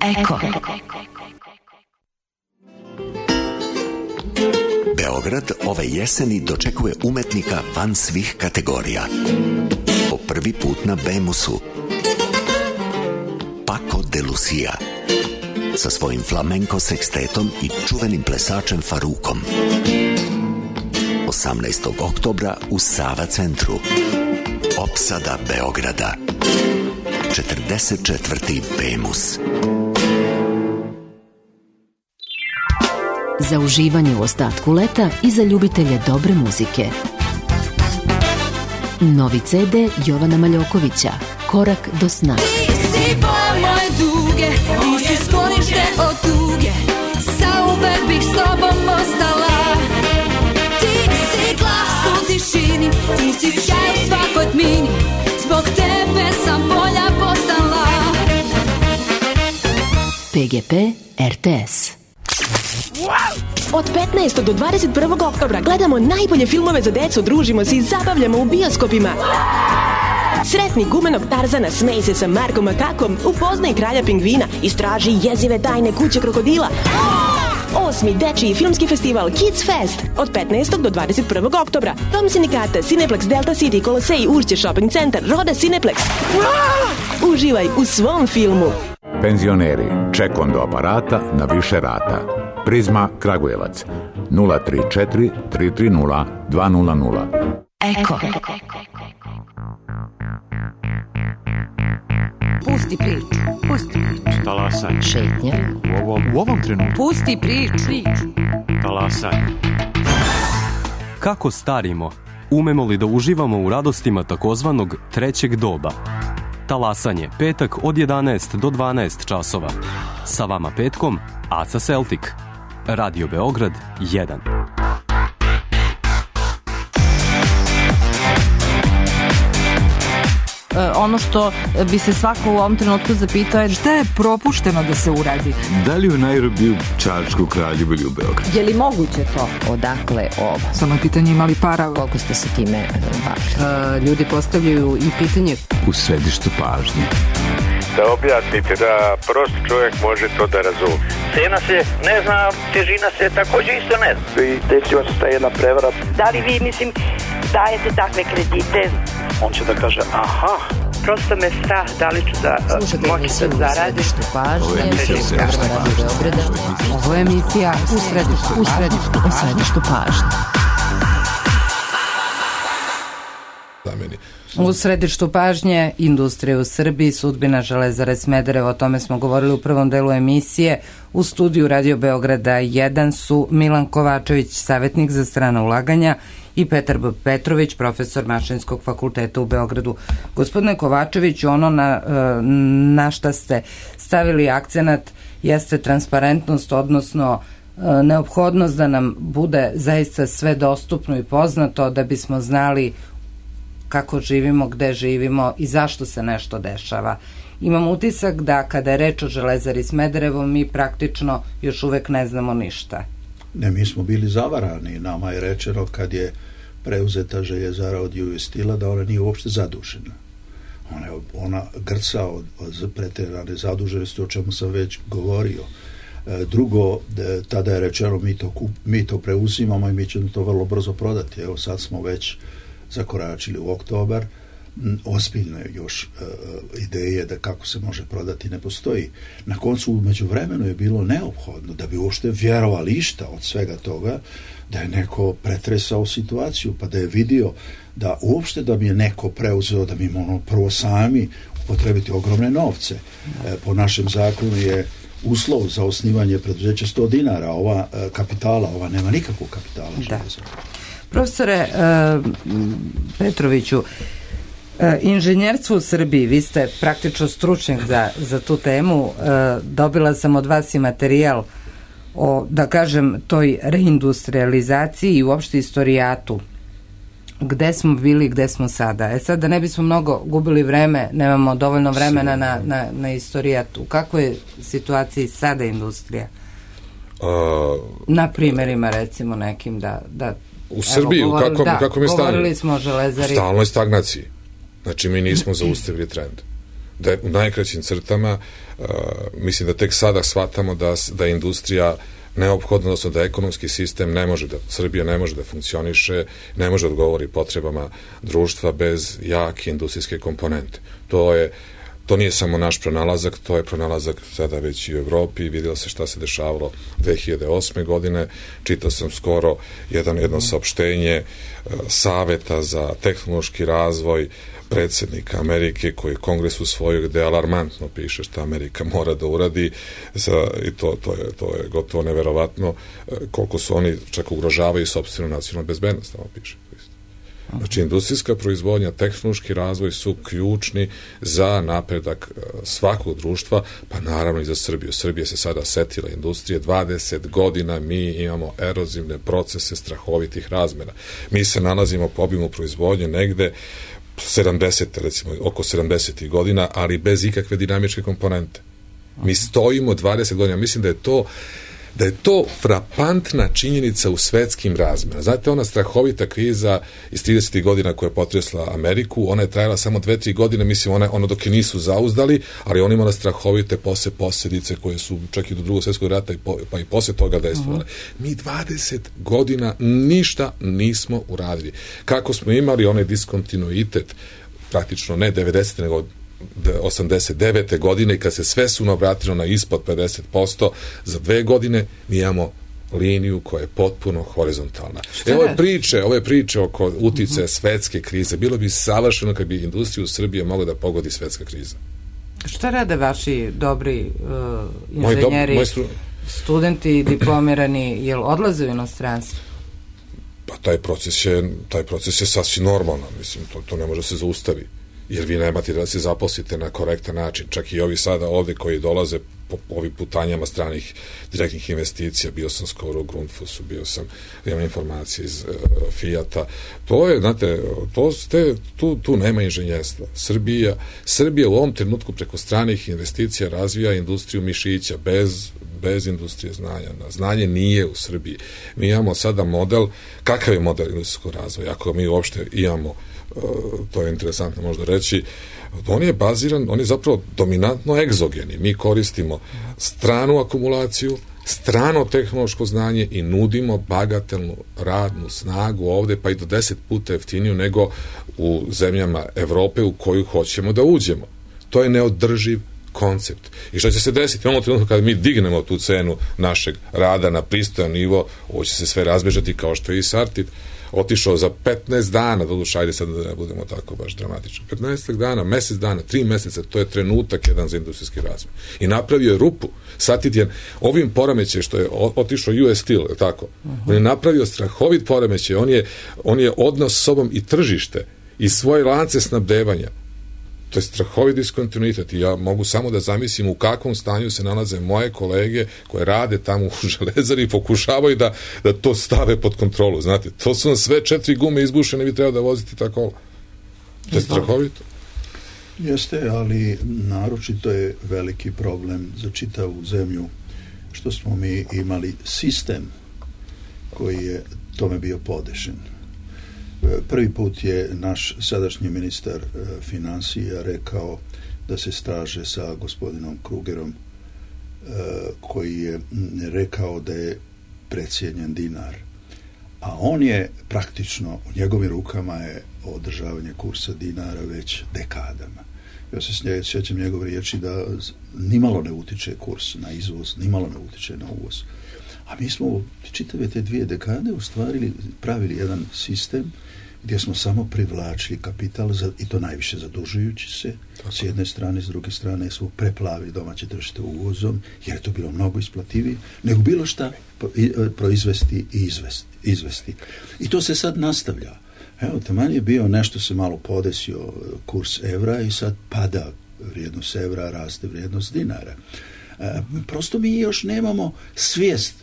Eko. Beograd ove jeseni dočekuje umetnika van svih kategorija. Po prvi put na Bemusu. Paco de Lucia. Sa svojim flamenko sekstetom i čuvenim plesačem Farukom. osamnaestog oktobra u Sava centru. Opsada Beograda. četrdeset četvrti Bemus. Za uživanje u ostatku leta i za ljubitelje dobre muzike. Novi ce de Jovana Maljokovića, Korak do sna. Ti si boje moje duge, ti si sklonište od tuge, zauvek bih s tobom ostala. Ti si glas u tišini, ti si sjaj u svakoj tmini, zbog tebe sam bolja postala. pe ge pe er te es. Od petnaestog do dvadeset prvog oktobra gledamo najbolje filmove za decu, družimo se i zabavljamo u bioskopima. Sretni gumenog Tarzana, smej se sa Markom Makakom, upoznaj kralja pingvina, istraži jezive tajne kuće krokodila. Osmi dečiji filmski festival Kids Fest od petnaestog do dvadeset prvog oktobra. Dom sindikata, Cineplex Delta City, Kolosej, Ušće Shopping Centar, Roda Cineplex. Uživaj u svom filmu. Penzioneri, ček do aparata na više rata. Prizma Kragujevac nula tri četiri tri tri nula dva nula nula. Eko. Pusti priču. Pusti priču. Talasaj. Šetnja. U ovom, u ovom trenutku. Pusti priču. Talasaj. Kako starimo? Umemo li da uživamo u radostima takozvanog trećeg doba? Talasanje, petak od jedanaest do dvanaest časova. Sa vama petkom, Aca Celtic. Radio Beograd jedan. Ono što bi se svako u ovom trenutku zapitao je šta je propušteno da se uradi. Da li u Nairobi, u Čačku, Kraljevu ili u Beogradu? Je li moguće to? Odakle ovo? Samo je pitanje imali para. Koliko ste se time bavili? Ljudi postavljaju i pitanje u središtu pažnje. da objasnite, da prost čovjek može to da razumije. Cena se ne zna, težina se također isto ne zna. I desila se ta jedna prevara. Da li vi, mislim, dajete takve kredite? On će da kaže, aha. Prosto me strah, da li ću da moći da zaradim. Ovo je emisija Ovo je emisija U središtu U središtu, u središtu pažnje. U središtu pažnje industrije u Srbiji, sudbina Železare Smederevo, o tome smo govorili u prvom delu emisije. U studiju Radio Beograda jedan su Milan Kovačević, savjetnik za strana ulaganja, i Petar Petrović, profesor Mašinskog fakulteta u Beogradu. Gospodine Kovačević, ono na, na šta ste stavili akcenat jeste transparentnost, odnosno neophodnost da nam bude zaista sve dostupno i poznato da bismo znali kako živimo, gde živimo i zašto se nešto dešava. Imam utisak da kada je reč o Železari Smederevo mi praktično još uvek ne znamo ništa. Ne, mi smo bili zavarani. Nama je rečeno kad je preuzeta željezara od U S Steel-a da ona nije uopšte zadužena. Ona, ona grca od, od preterane zaduženosti, o čemu sam već govorio. E, drugo, de, tada je rečeno mi to, kup, mi to preuzimamo i mi ćemo to vrlo brzo prodati. Evo sad smo već zakoračili u oktobar. Ozbiljne još e, ideje da kako se može prodati ne postoji. Na koncu umeđu vremenu je bilo neophodno da bi uopšte vjerovali išta od svega toga, da je neko pretresao situaciju, pa da je vidio da uopšte da mi je neko preuzeo da mi ono prvo sami upotrebiti ogromne novce. E, po našem zakonu je uslov za osnivanje preduzeća sto dinara, ova e, kapitala, ova nema nikakvog kapitala. Da. Profesore e, Petroviću, e, inženjerstvo u Srbiji, vi ste praktično stručnjak za, za tu temu, e, dobila sam od vas i materijal o, da kažem, toj reindustrializaciji i uopšte istorijatu. Gde smo bili, gde smo sada? E sad, da ne bismo mnogo gubili vreme, nemamo dovoljno vremena na, na, na istorijatu. U kakvoj je situaciji sada industrija? Uh, na primjerima, recimo, nekim da... da u Srbiji, evo, govorili, kako, da, kako mi stanimo? Govorili smo o železari. U stalnoj stagnaciji. Znači, mi nismo zaustavili trend. Da je u najkraćim crtama, uh, mislim da tek sada shvatamo da, da je industrija neophodno, odnosno da ekonomski sistem ne može da, Srbija ne može da funkcioniše, ne može da odgovori potrebama društva bez jake industrijske komponente. To je, to nije samo naš pronalazak, to je pronalazak sada već i u Evropi, vidjelo se šta se dešavalo dve hiljade osme godine, čitao sam skoro jedan, jedno saopštenje uh, Saveta za tehnološki razvoj predsjednika Amerike koji Kongres usvojio gde alarmantno piše šta Amerika mora da uradi za, i to, to, je, to je gotovo neverovatno koliko su oni čak ugrožavaju sopstvenu nacionalnu bezbednost, tamo piše. Znači, industrijska proizvodnja, tehnološki razvoj su ključni za napredak svakog društva, pa naravno i za Srbiju. Srbija se sada setila industrije, dvadeset godina mi imamo erozivne procese strahovitih razmera. Mi se nalazimo po obimu proizvodnje negde sedamdeset, recimo, oko sedamdesetih godina, ali bez ikakve dinamičke komponente. Mi stojimo dvadeset godina. Mislim da je to da je to frapantna činjenica u svetskim razmerama. Znate, ona strahovita kriza iz tridesetih godina koja je potresla Ameriku, ona je trajala samo dve tri godine, mislim, ona, ono dok je nisu zauzdali, ali ona imala strahovite pose posljedice koje su čak i do drugog svjetskog rata i po, pa i posle toga dejstvovale. Uh-huh. Mi dvadeset godina ništa nismo uradili. Kako smo imali onaj diskontinuitet, praktično ne devedesete nego osamdeset devete godine i kad se sve suno vratilo na ispod pedeset posto za dve godine, mi imamo liniju koja je potpuno horizontalna. E, ove priče, ove priče oko uticaja uh-huh. svetske krize, bilo bi savršeno kad bi industriju Srbije mogla da pogodi svetska kriza. Šta rade vaši dobri uh, Moj inženjeri, dob, moj stru... studenti, diplomirani, jel odlaze u inostranstvo? Pa taj proces je, taj proces je sasvim normalno, mislim, to, to ne može se zaustaviti. Jer vi nemate da se zaposlite na korektan način. Čak i ovi sada ovde koji dolaze po ovim putanjama stranih direktnih investicija, bio sam skoro u Grundfusu, bio sam, imam informacije iz uh, Fijata. To je, znate, to ste, tu, tu nema inženjerstva. Srbija, Srbija u ovom trenutku preko stranih investicija razvija industriju mišića bez bez industrije znanja. Znanje nije u Srbiji. Mi imamo sada model, kakav je model industrijskog razvoja, ako mi uopšte imamo, to je interesantno možda reći, on je baziran, on je zapravo dominantno egzogeni. Mi koristimo stranu akumulaciju, strano tehnološko znanje i nudimo bagatelnu radnu snagu ovde, pa i do deset puta jeftiniju nego u zemljama Evrope u koju hoćemo da uđemo. To je neodrživ koncept. I šta će se desiti? Imamo trenutku kada mi dignemo tu cenu našeg rada na pristojan nivo, ovo će se sve razbežati kao što je i Sartid otišao za petnaest dana, doduše, ajde sad da ne budemo tako baš dramatično. petnaest dana, mesec dana, tri meseca, to je trenutak jedan za industrijski razvoj. I napravio je rupu. Sartid je ovim poremećajem što je otišao U S Steel, je tako? Uh-huh. On je napravio strahovit poremećaj, on je, on je odnos s sobom i tržište i svoje lance snabdevanja. To je strahovit diskontinuitet i ja mogu samo da zamislim u kakvom stanju se nalaze moje kolege koje rade tamo u železari i pokušavaju da, da to stave pod kontrolu. Znate, to su nam sve četiri gume izbušene, vi treba da vozite ta kola. To je strahovito. Jeste, ali naročito je veliki problem za čitavu zemlju što smo mi imali sistem koji je tome bio podešen. Prvi put je naš sadašnji ministar financija rekao da se straže sa gospodinom Krugerom, koji je rekao da je precijenjen dinar. A on je praktično, u njegovim rukama je održavanje kursa dinara već dekadama. Ja se sjećam njegove riječi da nimalo ne utiče kurs na izvoz, nimalo ne utiče na uvoz. A mi smo čitave te dvije dekade ustvarili, pravili jedan sistem gdje smo samo privlačili kapital za, i to najviše zadužujući se. Tako. S jedne strane, s druge strane smo preplavili domaće tržište uvozom, jer je to bilo mnogo isplativije, nego bilo šta proizvesti i izvesti. izvesti. I to se sad nastavlja. Evo, taman je bio, nešto se malo podesio kurs evra i sad pada vrijednost evra, raste vrijednost dinara. E, prosto mi još nemamo svijest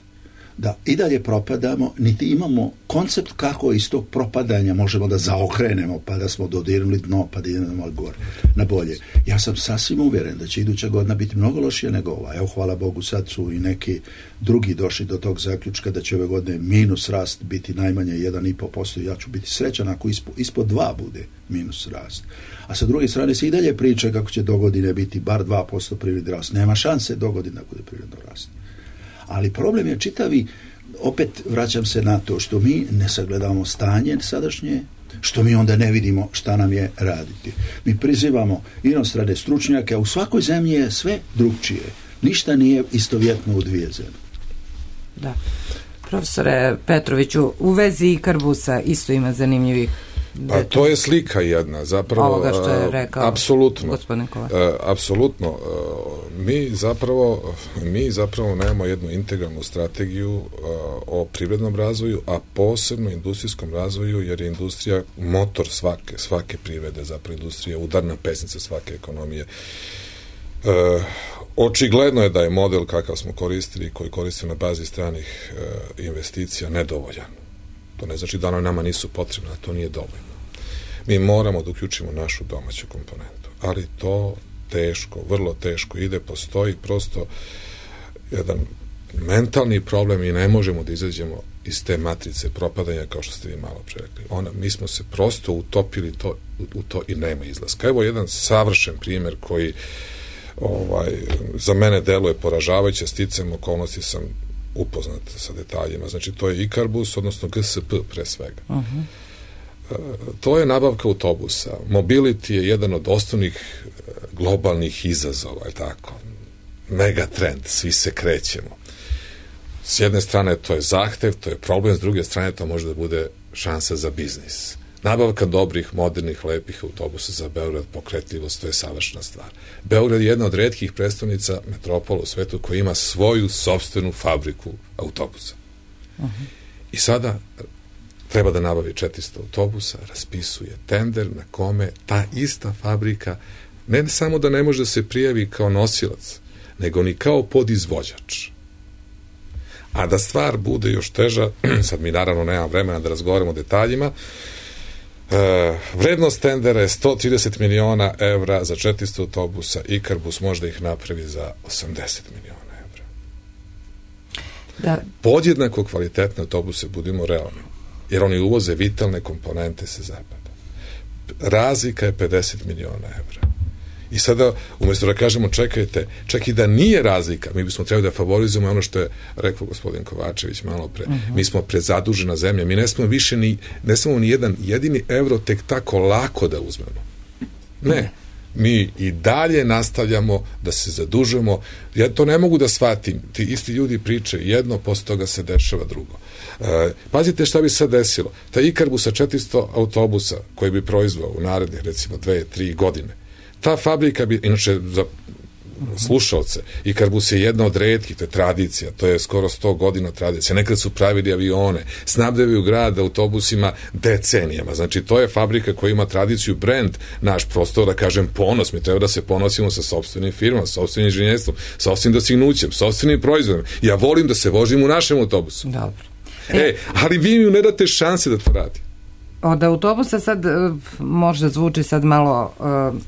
da i dalje propadamo, niti imamo koncept kako iz tog propadanja možemo da zaokrenemo, pa da smo dodirnuli dno, pa da idemo gore, na bolje. Ja sam sasvim uvjeren da će iduća godina biti mnogo lošija nego ova. Evo, hvala Bogu, sad su i neki drugi došli do tog zaključka da će ove godine minus rast biti najmanje jedan i pol posto. Ja ću biti srećan ako ispod, ispod dva bude minus rast. A sa druge strane se i dalje priča kako će do godine biti bar dva posto privredni rast. Nema šanse do godine da bude privredno rast. Ali problem je čitavi, opet vraćam se na to što mi ne sagledamo stanje sadašnje, što mi onda ne vidimo šta nam je raditi. Mi prizivamo inostrane stručnjake, a u svakoj zemlji je sve drugčije. Ništa nije istovjetno u dvije zemlje. Da. Profesore Petroviću, u vezi Ikarbusa isto ima zanimljivih. Pa to je slika jedna, zapravo. Ovoga što je rekao apsolutno, gospodin Kovač. Apsolutno. Mi zapravo, mi zapravo nemamo jednu integralnu strategiju o privrednom razvoju, a posebno industrijskom razvoju, jer je industrija motor svake, svake privrede, zapravo industrija udarna pesnica svake ekonomije. Očigledno je da je model kakav smo koristili, koji koristimo na bazi stranih investicija, nedovoljan. To ne znači da nama nisu potrebne, to nije dovoljno. Mi moramo da uključimo našu domaću komponentu, ali to teško, vrlo teško ide, postoji prosto jedan mentalni problem i ne možemo da izađemo iz te matrice propadanja, kao što ste vi malo pre rekli. Ona, mi smo se prosto utopili to, u to i nema izlaska. Evo jedan savršen primjer koji ovaj, za mene deluje poražavajuće, sticajem okolnosti sam upoznat sa detaljima. Znači, to je Ikarbus, odnosno G S P pre svega. Uh-huh. E, to je nabavka autobusa. Mobility je jedan od osnovnih globalnih izazova, je tako? Megatrend, svi se krećemo. S jedne strane to je zahtev, to je problem, s druge strane to može da bude šansa za biznis. Nabavka dobrih, modernih, lepih autobusa za Beograd, pokretljivost, to je savršena stvar. Beograd je jedna od retkih predstavnica metropola u svetu koja ima svoju sopstvenu fabriku autobusa. Uh-huh. I sada treba da nabavi četiristo autobusa, raspisuje tender na kome ta ista fabrika ne samo da ne može da se prijavi kao nosilac, nego ni kao podizvođač. A da stvar bude još teža, sad mi naravno nema vremena da razgovaramo o detaljima, Uh, vrednost tendera je sto trideset miliona evra za četiristo autobusa, Ikarbus možda ih napravi za osamdeset miliona evra. Da. Podjednako kvalitetne autobuse, budimo realni, jer oni uvoze vitalne komponente sa zapada. Razlika je pedeset miliona evra. I sada, umjesto da kažemo čekajte, čak i da nije razlika, mi bismo trebali da favorizujemo ono što je rekao gospodin Kovačević malo pre. Uh-huh. Mi smo prezadužena zemlja, mi ne smemo više ni, ne smemo ni jedan jedini evro tek tako lako da uzmemo. Ne. Mi i dalje nastavljamo da se zadužujemo. Ja to ne mogu da shvatim. Ti isti ljudi pričaju jedno, posle toga se dešava drugo. E, pazite šta bi sad desilo. Ta Ikarbus sa četiristo autobusa koji bi proizvao u narednih recimo dve, tri godine, ta fabrika bi, inače za slušalce, Ikarbus je jedna od retkih, to je tradicija, to je skoro sto godina tradicija. Nekad su pravili avione, snabdevaju grad autobusima decenijama. Znači, to je fabrika koja ima tradiciju, brand, naš prostor, da kažem, ponos. Mi treba da se ponosimo sa sopstvenim firmama, sa sopstvenim inženjerstvom, sa sopstvenim dostignućem, sa sopstvenim proizvodom. Ja volim da se vozim u našem autobusu. Dobro. E, e ali vi mi ne date šanse da to radi. Od autobusa sad možda zvuči sad malo uh,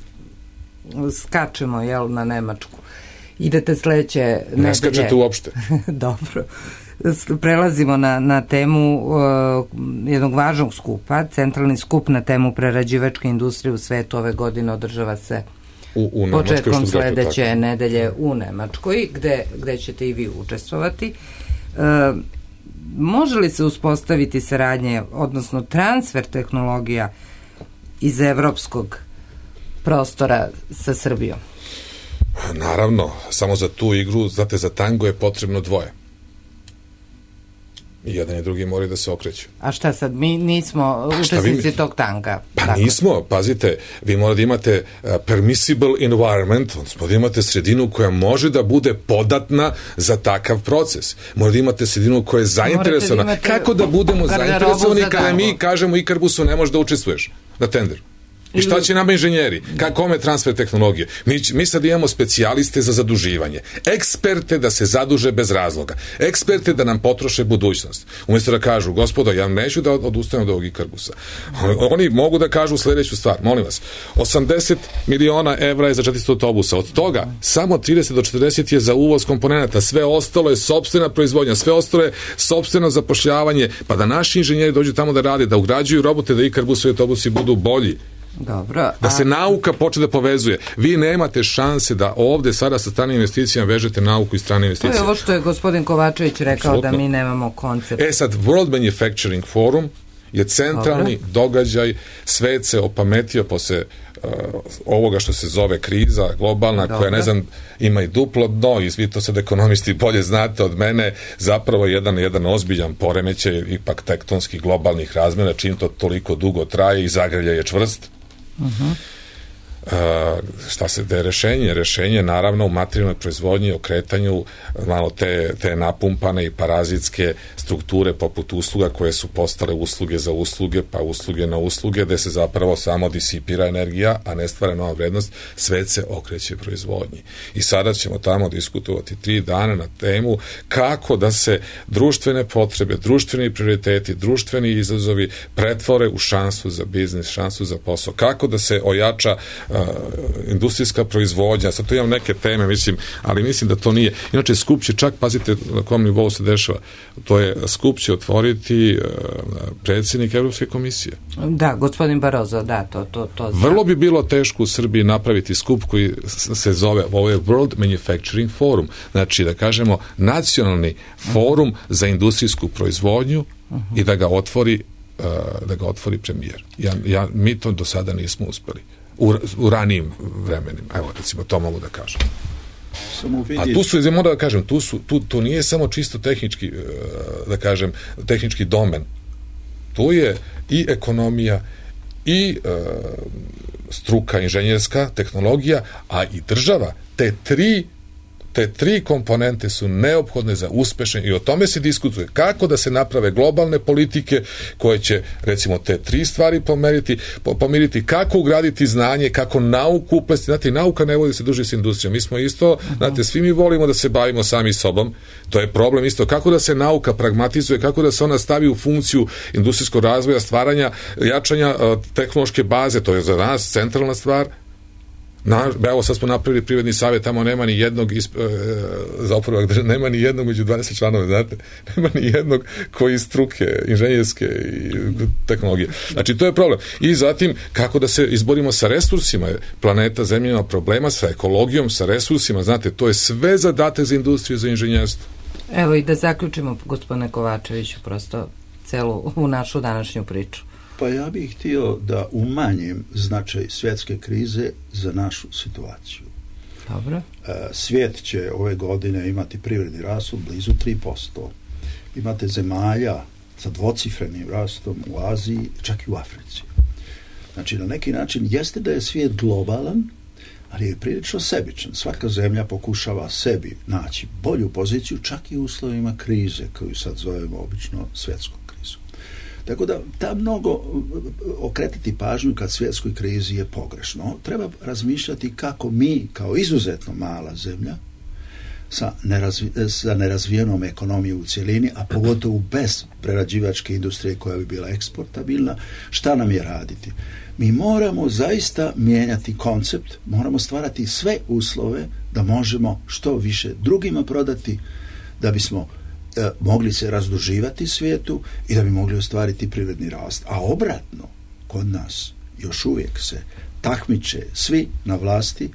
skačemo, jel, na Nemačku. Idete sledeće nedelje. Ne skačete uopšte. Dobro. Prelazimo na, na temu uh, jednog važnog skupa. Centralni skup na temu prerađivačke industrije u svetu ove godine održava se u, u početkom sledeće tako. nedelje u Nemačkoj, gde, gde ćete i vi učestvovati. Uh, može li se uspostaviti saradnje, odnosno transfer tehnologija iz evropskog prostora sa Srbijom? Naravno, samo za tu igru, znate, za tango je potrebno dvoje. I jedan i drugi moraju da se okreću. A šta sad, mi nismo učesnici vi... tog tanga? Pa tako. Nismo, pazite, vi morate da imate uh, permissible environment, odnosno da imate sredinu koja može da bude podatna za takav proces. Morate da imate sredinu koja je zainteresovana. Da kako da budemo zainteresovani kada mi kažemo Ikarbusu ne možeš da učestvuješ na tenderu? I šta će nam inženjeri? Kako me transfer tehnologije? Mi, mi sad imamo specijaliste za zaduživanje. Eksperte da se zaduže bez razloga. Eksperte da nam potroše budućnost. Umjesto da kažu, gospodo, ja neću da odustanem od ovog Ikarbusa. Oni mogu da kažu sljedeću stvar. Molim vas, osamdeset miliona evra je za četiristo autobusa. Od toga samo trideset do četrdeset je za uvoz komponenata. Sve ostalo je sopstvena proizvodnja. Sve ostalo je sopstveno zapošljavanje. Pa da naši inženjeri dođu tamo da rade, da ugrađuju robote, da Ikarbusovi autobusi budu bolji. Dobro, da se a... nauka počne da povezuje. Vi nemate šanse da ovde sada sa stranim investicijama vežete nauku i strane investicije. To je ovo što je gospodin Kovačević rekao. Absolutno. Da mi nemamo koncept. E sad, World Manufacturing Forum je centralni Dobro. događaj, svet se opametio posle uh, ovoga što se zove kriza globalna, Dobro. koja ne znam, ima i duplo dno i vi to sad ekonomisti bolje znate od mene, zapravo jedan, jedan ozbiljan poremećaj ipak tektonskih globalnih razmjera, čim to toliko dugo traje i zagrlja je čvrst. Uh-huh. Uh, šta se da je rešenje? Rešenje naravno u materijalnoj proizvodnji, okretanju malo te, te napumpane i parazitske strukture poput usluga koje su postale usluge za usluge, pa usluge na usluge, gde se zapravo samo disipira energija, a ne stvara nova vrednost, svet se okreće proizvodnji. I sada ćemo tamo diskutovati tri dana na temu kako da se društvene potrebe, društveni prioriteti, društveni izazovi pretvore u šansu za biznis, šansu za posao. Kako da se ojača Uh, industrijska proizvodnja, sad tu imam neke teme, mislim, ali mislim da to nije. Inače, skup će čak, pazite na kom nivou se dešava, to je, skup će otvoriti uh, predsjednik Evropske komisije. Da, gospodin Barozo, da, to, to, to znam. Vrlo bi bilo teško u Srbiji napraviti skup koji se zove, ovo je World Manufacturing Forum, znači da kažemo nacionalni forum uh-huh. za industrijsku proizvodnju uh-huh. i da ga otvori uh, da ga otvori premijer. Ja, ja, mi to do sada nismo uspeli. U, u ranijim vremenima. Evo, recimo, to mogu da kažem. A tu su, ja moram da kažem, tu su, tu, tu nije samo čisto tehnički, da kažem, tehnički domen. Tu je i ekonomija, i e, struka inženjerska, tehnologija, a i država. Te tri Te tri komponente su neophodne za uspešne i o tome se diskutuje. Kako da se naprave globalne politike koje će, recimo, te tri stvari pomeriti, pomiriti, kako ugraditi znanje, kako nauku uplesti. Znate, nauka ne voli se duže s industrijom. Mi smo isto, znate, svi mi volimo da se bavimo sami sobom. To je problem isto. Kako da se nauka pragmatizuje, kako da se ona stavi u funkciju industrijskog razvoja, stvaranja, jačanja uh, tehnološke baze. To je za nas centralna stvar. Na, evo sad smo napravili privredni savjet, tamo nema ni jednog isp, e, za oporavak države, nema ni jednog među dvadeset članova, znate, nema ni jednog koji iz struke, inženjerske i tehnologije. Znači to je problem. I zatim kako da se izborimo sa resursima, planeta Zemlja ima problema sa ekologijom, sa resursima, znate, to je sve zadatak za industriju, za inženjerstvo. Evo i da zaključimo, gospodine Kovačeviću, prosto celu u našu današnju priču. Pa ja bih htio da umanjim značaj svjetske krize za našu situaciju. Dobro. Svijet će ove godine imati privredni rast blizu tri posto. Imate zemalja sa dvocifrenim rastom u Aziji, čak i u Africi. Znači, na neki način jeste da je svijet globalan, ali je prilično sebičan. Svaka zemlja pokušava sebi naći bolju poziciju, čak i u uslovima krize, koju sad zovemo obično svjetskom krizom. Tako da, ta mnogo okretiti pažnju kad svjetskoj krizi je pogrešno. Treba razmišljati kako mi, kao izuzetno mala zemlja, sa, nerazvi, sa nerazvijenom ekonomijom u cjelini, a pogotovo bez prerađivačke industrije koja bi bila eksportabilna, šta nam je raditi? Mi moramo zaista mijenjati koncept, moramo stvarati sve uslove da možemo što više drugima prodati, da bismo e, mogli se razduživati svijetu i da bi mogli ostvariti privredni rast. A obratno, kod nas još uvijek se takmiče svi na vlasti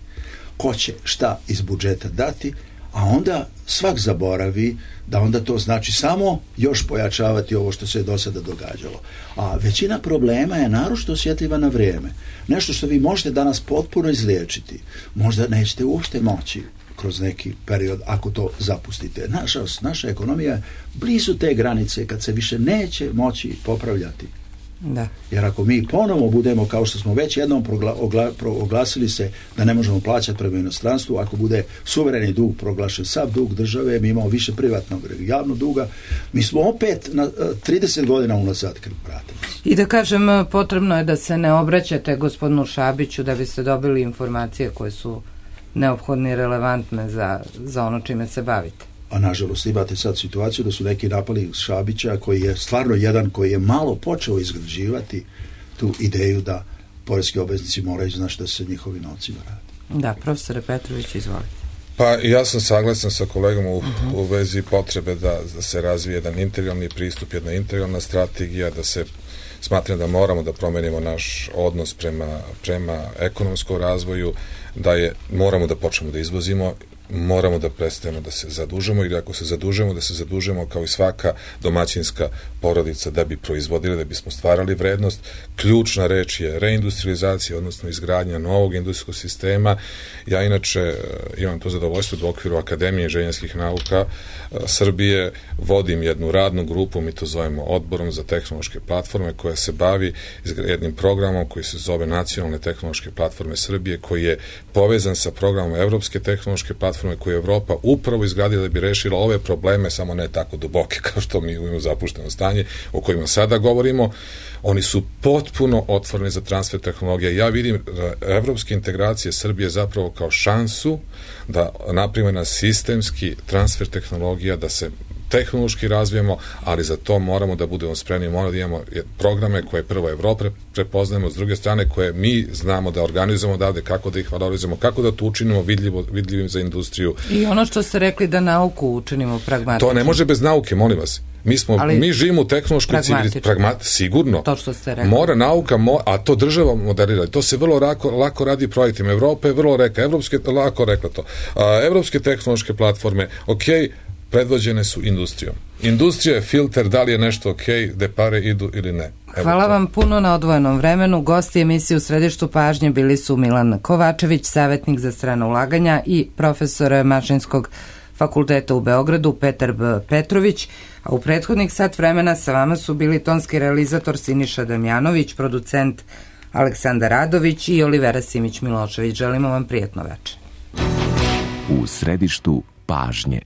ko će šta iz budžeta dati, a onda svak zaboravi da onda to znači samo još pojačavati ovo što se je do sada događalo. A većina problema je naročito osjetljiva na vrijeme. Nešto što vi možete danas potpuno izliječiti, možda nećete uopšte moći kroz neki period ako to zapustite. Naša, naša ekonomija je blizu te granice kad se više neće moći popravljati. Da. Jer ako mi ponovo budemo, kao što smo već jednom progla, ogla, pro, oglasili se da ne možemo plaćati prema inostranstvu, ako bude suvereni dug proglašen sav dug države, mi imamo više privatnog javnog duga, mi smo opet na trideset godina unazad kad pratimo. I da kažem, potrebno je da se ne obraćate gospodinu Šabiću da biste dobili informacije koje su neophodne i relevantne za, za ono čime se bavite. A nažalost imate sad situaciju da su neki napali Šabića, koji je stvarno jedan koji je malo počeo izgrađivati tu ideju da poreski obveznici moraju znaći da se njihovi novcima radi. Da, profesore Petrović, izvolite. Pa ja sam saglasan sa kolegom u, uh-huh. u vezi potrebe da, da se razvije jedan integralni pristup, jedna integralna strategija, da se smatram da moramo da promenimo naš odnos prema, prema ekonomskom razvoju, da je moramo da počnemo da izvozimo, moramo da prestajemo da se zadužemo, jer ako se zadužemo, da se zadužemo kao i svaka domaćinska porodica da bi proizvodili, da bismo stvarali vrednost. Ključna reč je reindustrializacija, odnosno izgradnja novog industrijskog sistema. Ja inače imam to zadovoljstvo da u okviru Akademije inženjerskih nauka Srbije vodim jednu radnu grupu, mi to zovemo Odborom za tehnološke platforme, koja se bavi jednim programom koji se zove Nacionalne tehnološke platforme Srbije, koji je povezan sa programom Evropske tehnološke platforme koju je Evropa upravo izgradila da bi rešila ove probleme, samo ne tako duboke kao što mi imamo zapušteno stanje o kojima sada govorimo. Oni su potpuno otvoreni za transfer tehnologije. Ja vidim evropske integracije Srbije zapravo kao šansu da napravimo na sistemski transfer tehnologija, da se tehnološki razvijemo, ali za to moramo da budemo spremni, moramo da imamo programe koje prvo Evropa prepoznajemo, s druge strane koje mi znamo da organizujemo odavde, kako da ih valorizujemo, kako da to učinimo vidljivo, vidljivim za industriju. I ono što ste rekli da nauku učinimo pragmatično. To ne može bez nauke, molim vas. Mi smo, ali mi živimo u tehnološkoj civilizaciji, pragmat, sigurno. To što ste rekli. Mora nauka, mo, a to država modelira. To se vrlo lako, lako radi projektima. Evropa je vrlo reka, evropske, lako rekla to. A, evropske tehnološke platforme, okej, predvođene su industrijom. Industrija je filter da li je nešto ok, gde pare idu ili ne. Evo Hvala to. vam puno na odvojenom vremenu. Gosti emisije u središtu pažnje bili su Milan Kovačević, savjetnik za strana ulaganja, i profesor Mašinskog fakulteta u Beogradu Petar B. Petrović, a u prethodnih sat vremena sa vama su bili tonski realizator Siniša Damjanović, producent Aleksandar Radović i Olivera Simić Milošević. Želimo vam prijatno večer. U središtu pažnje.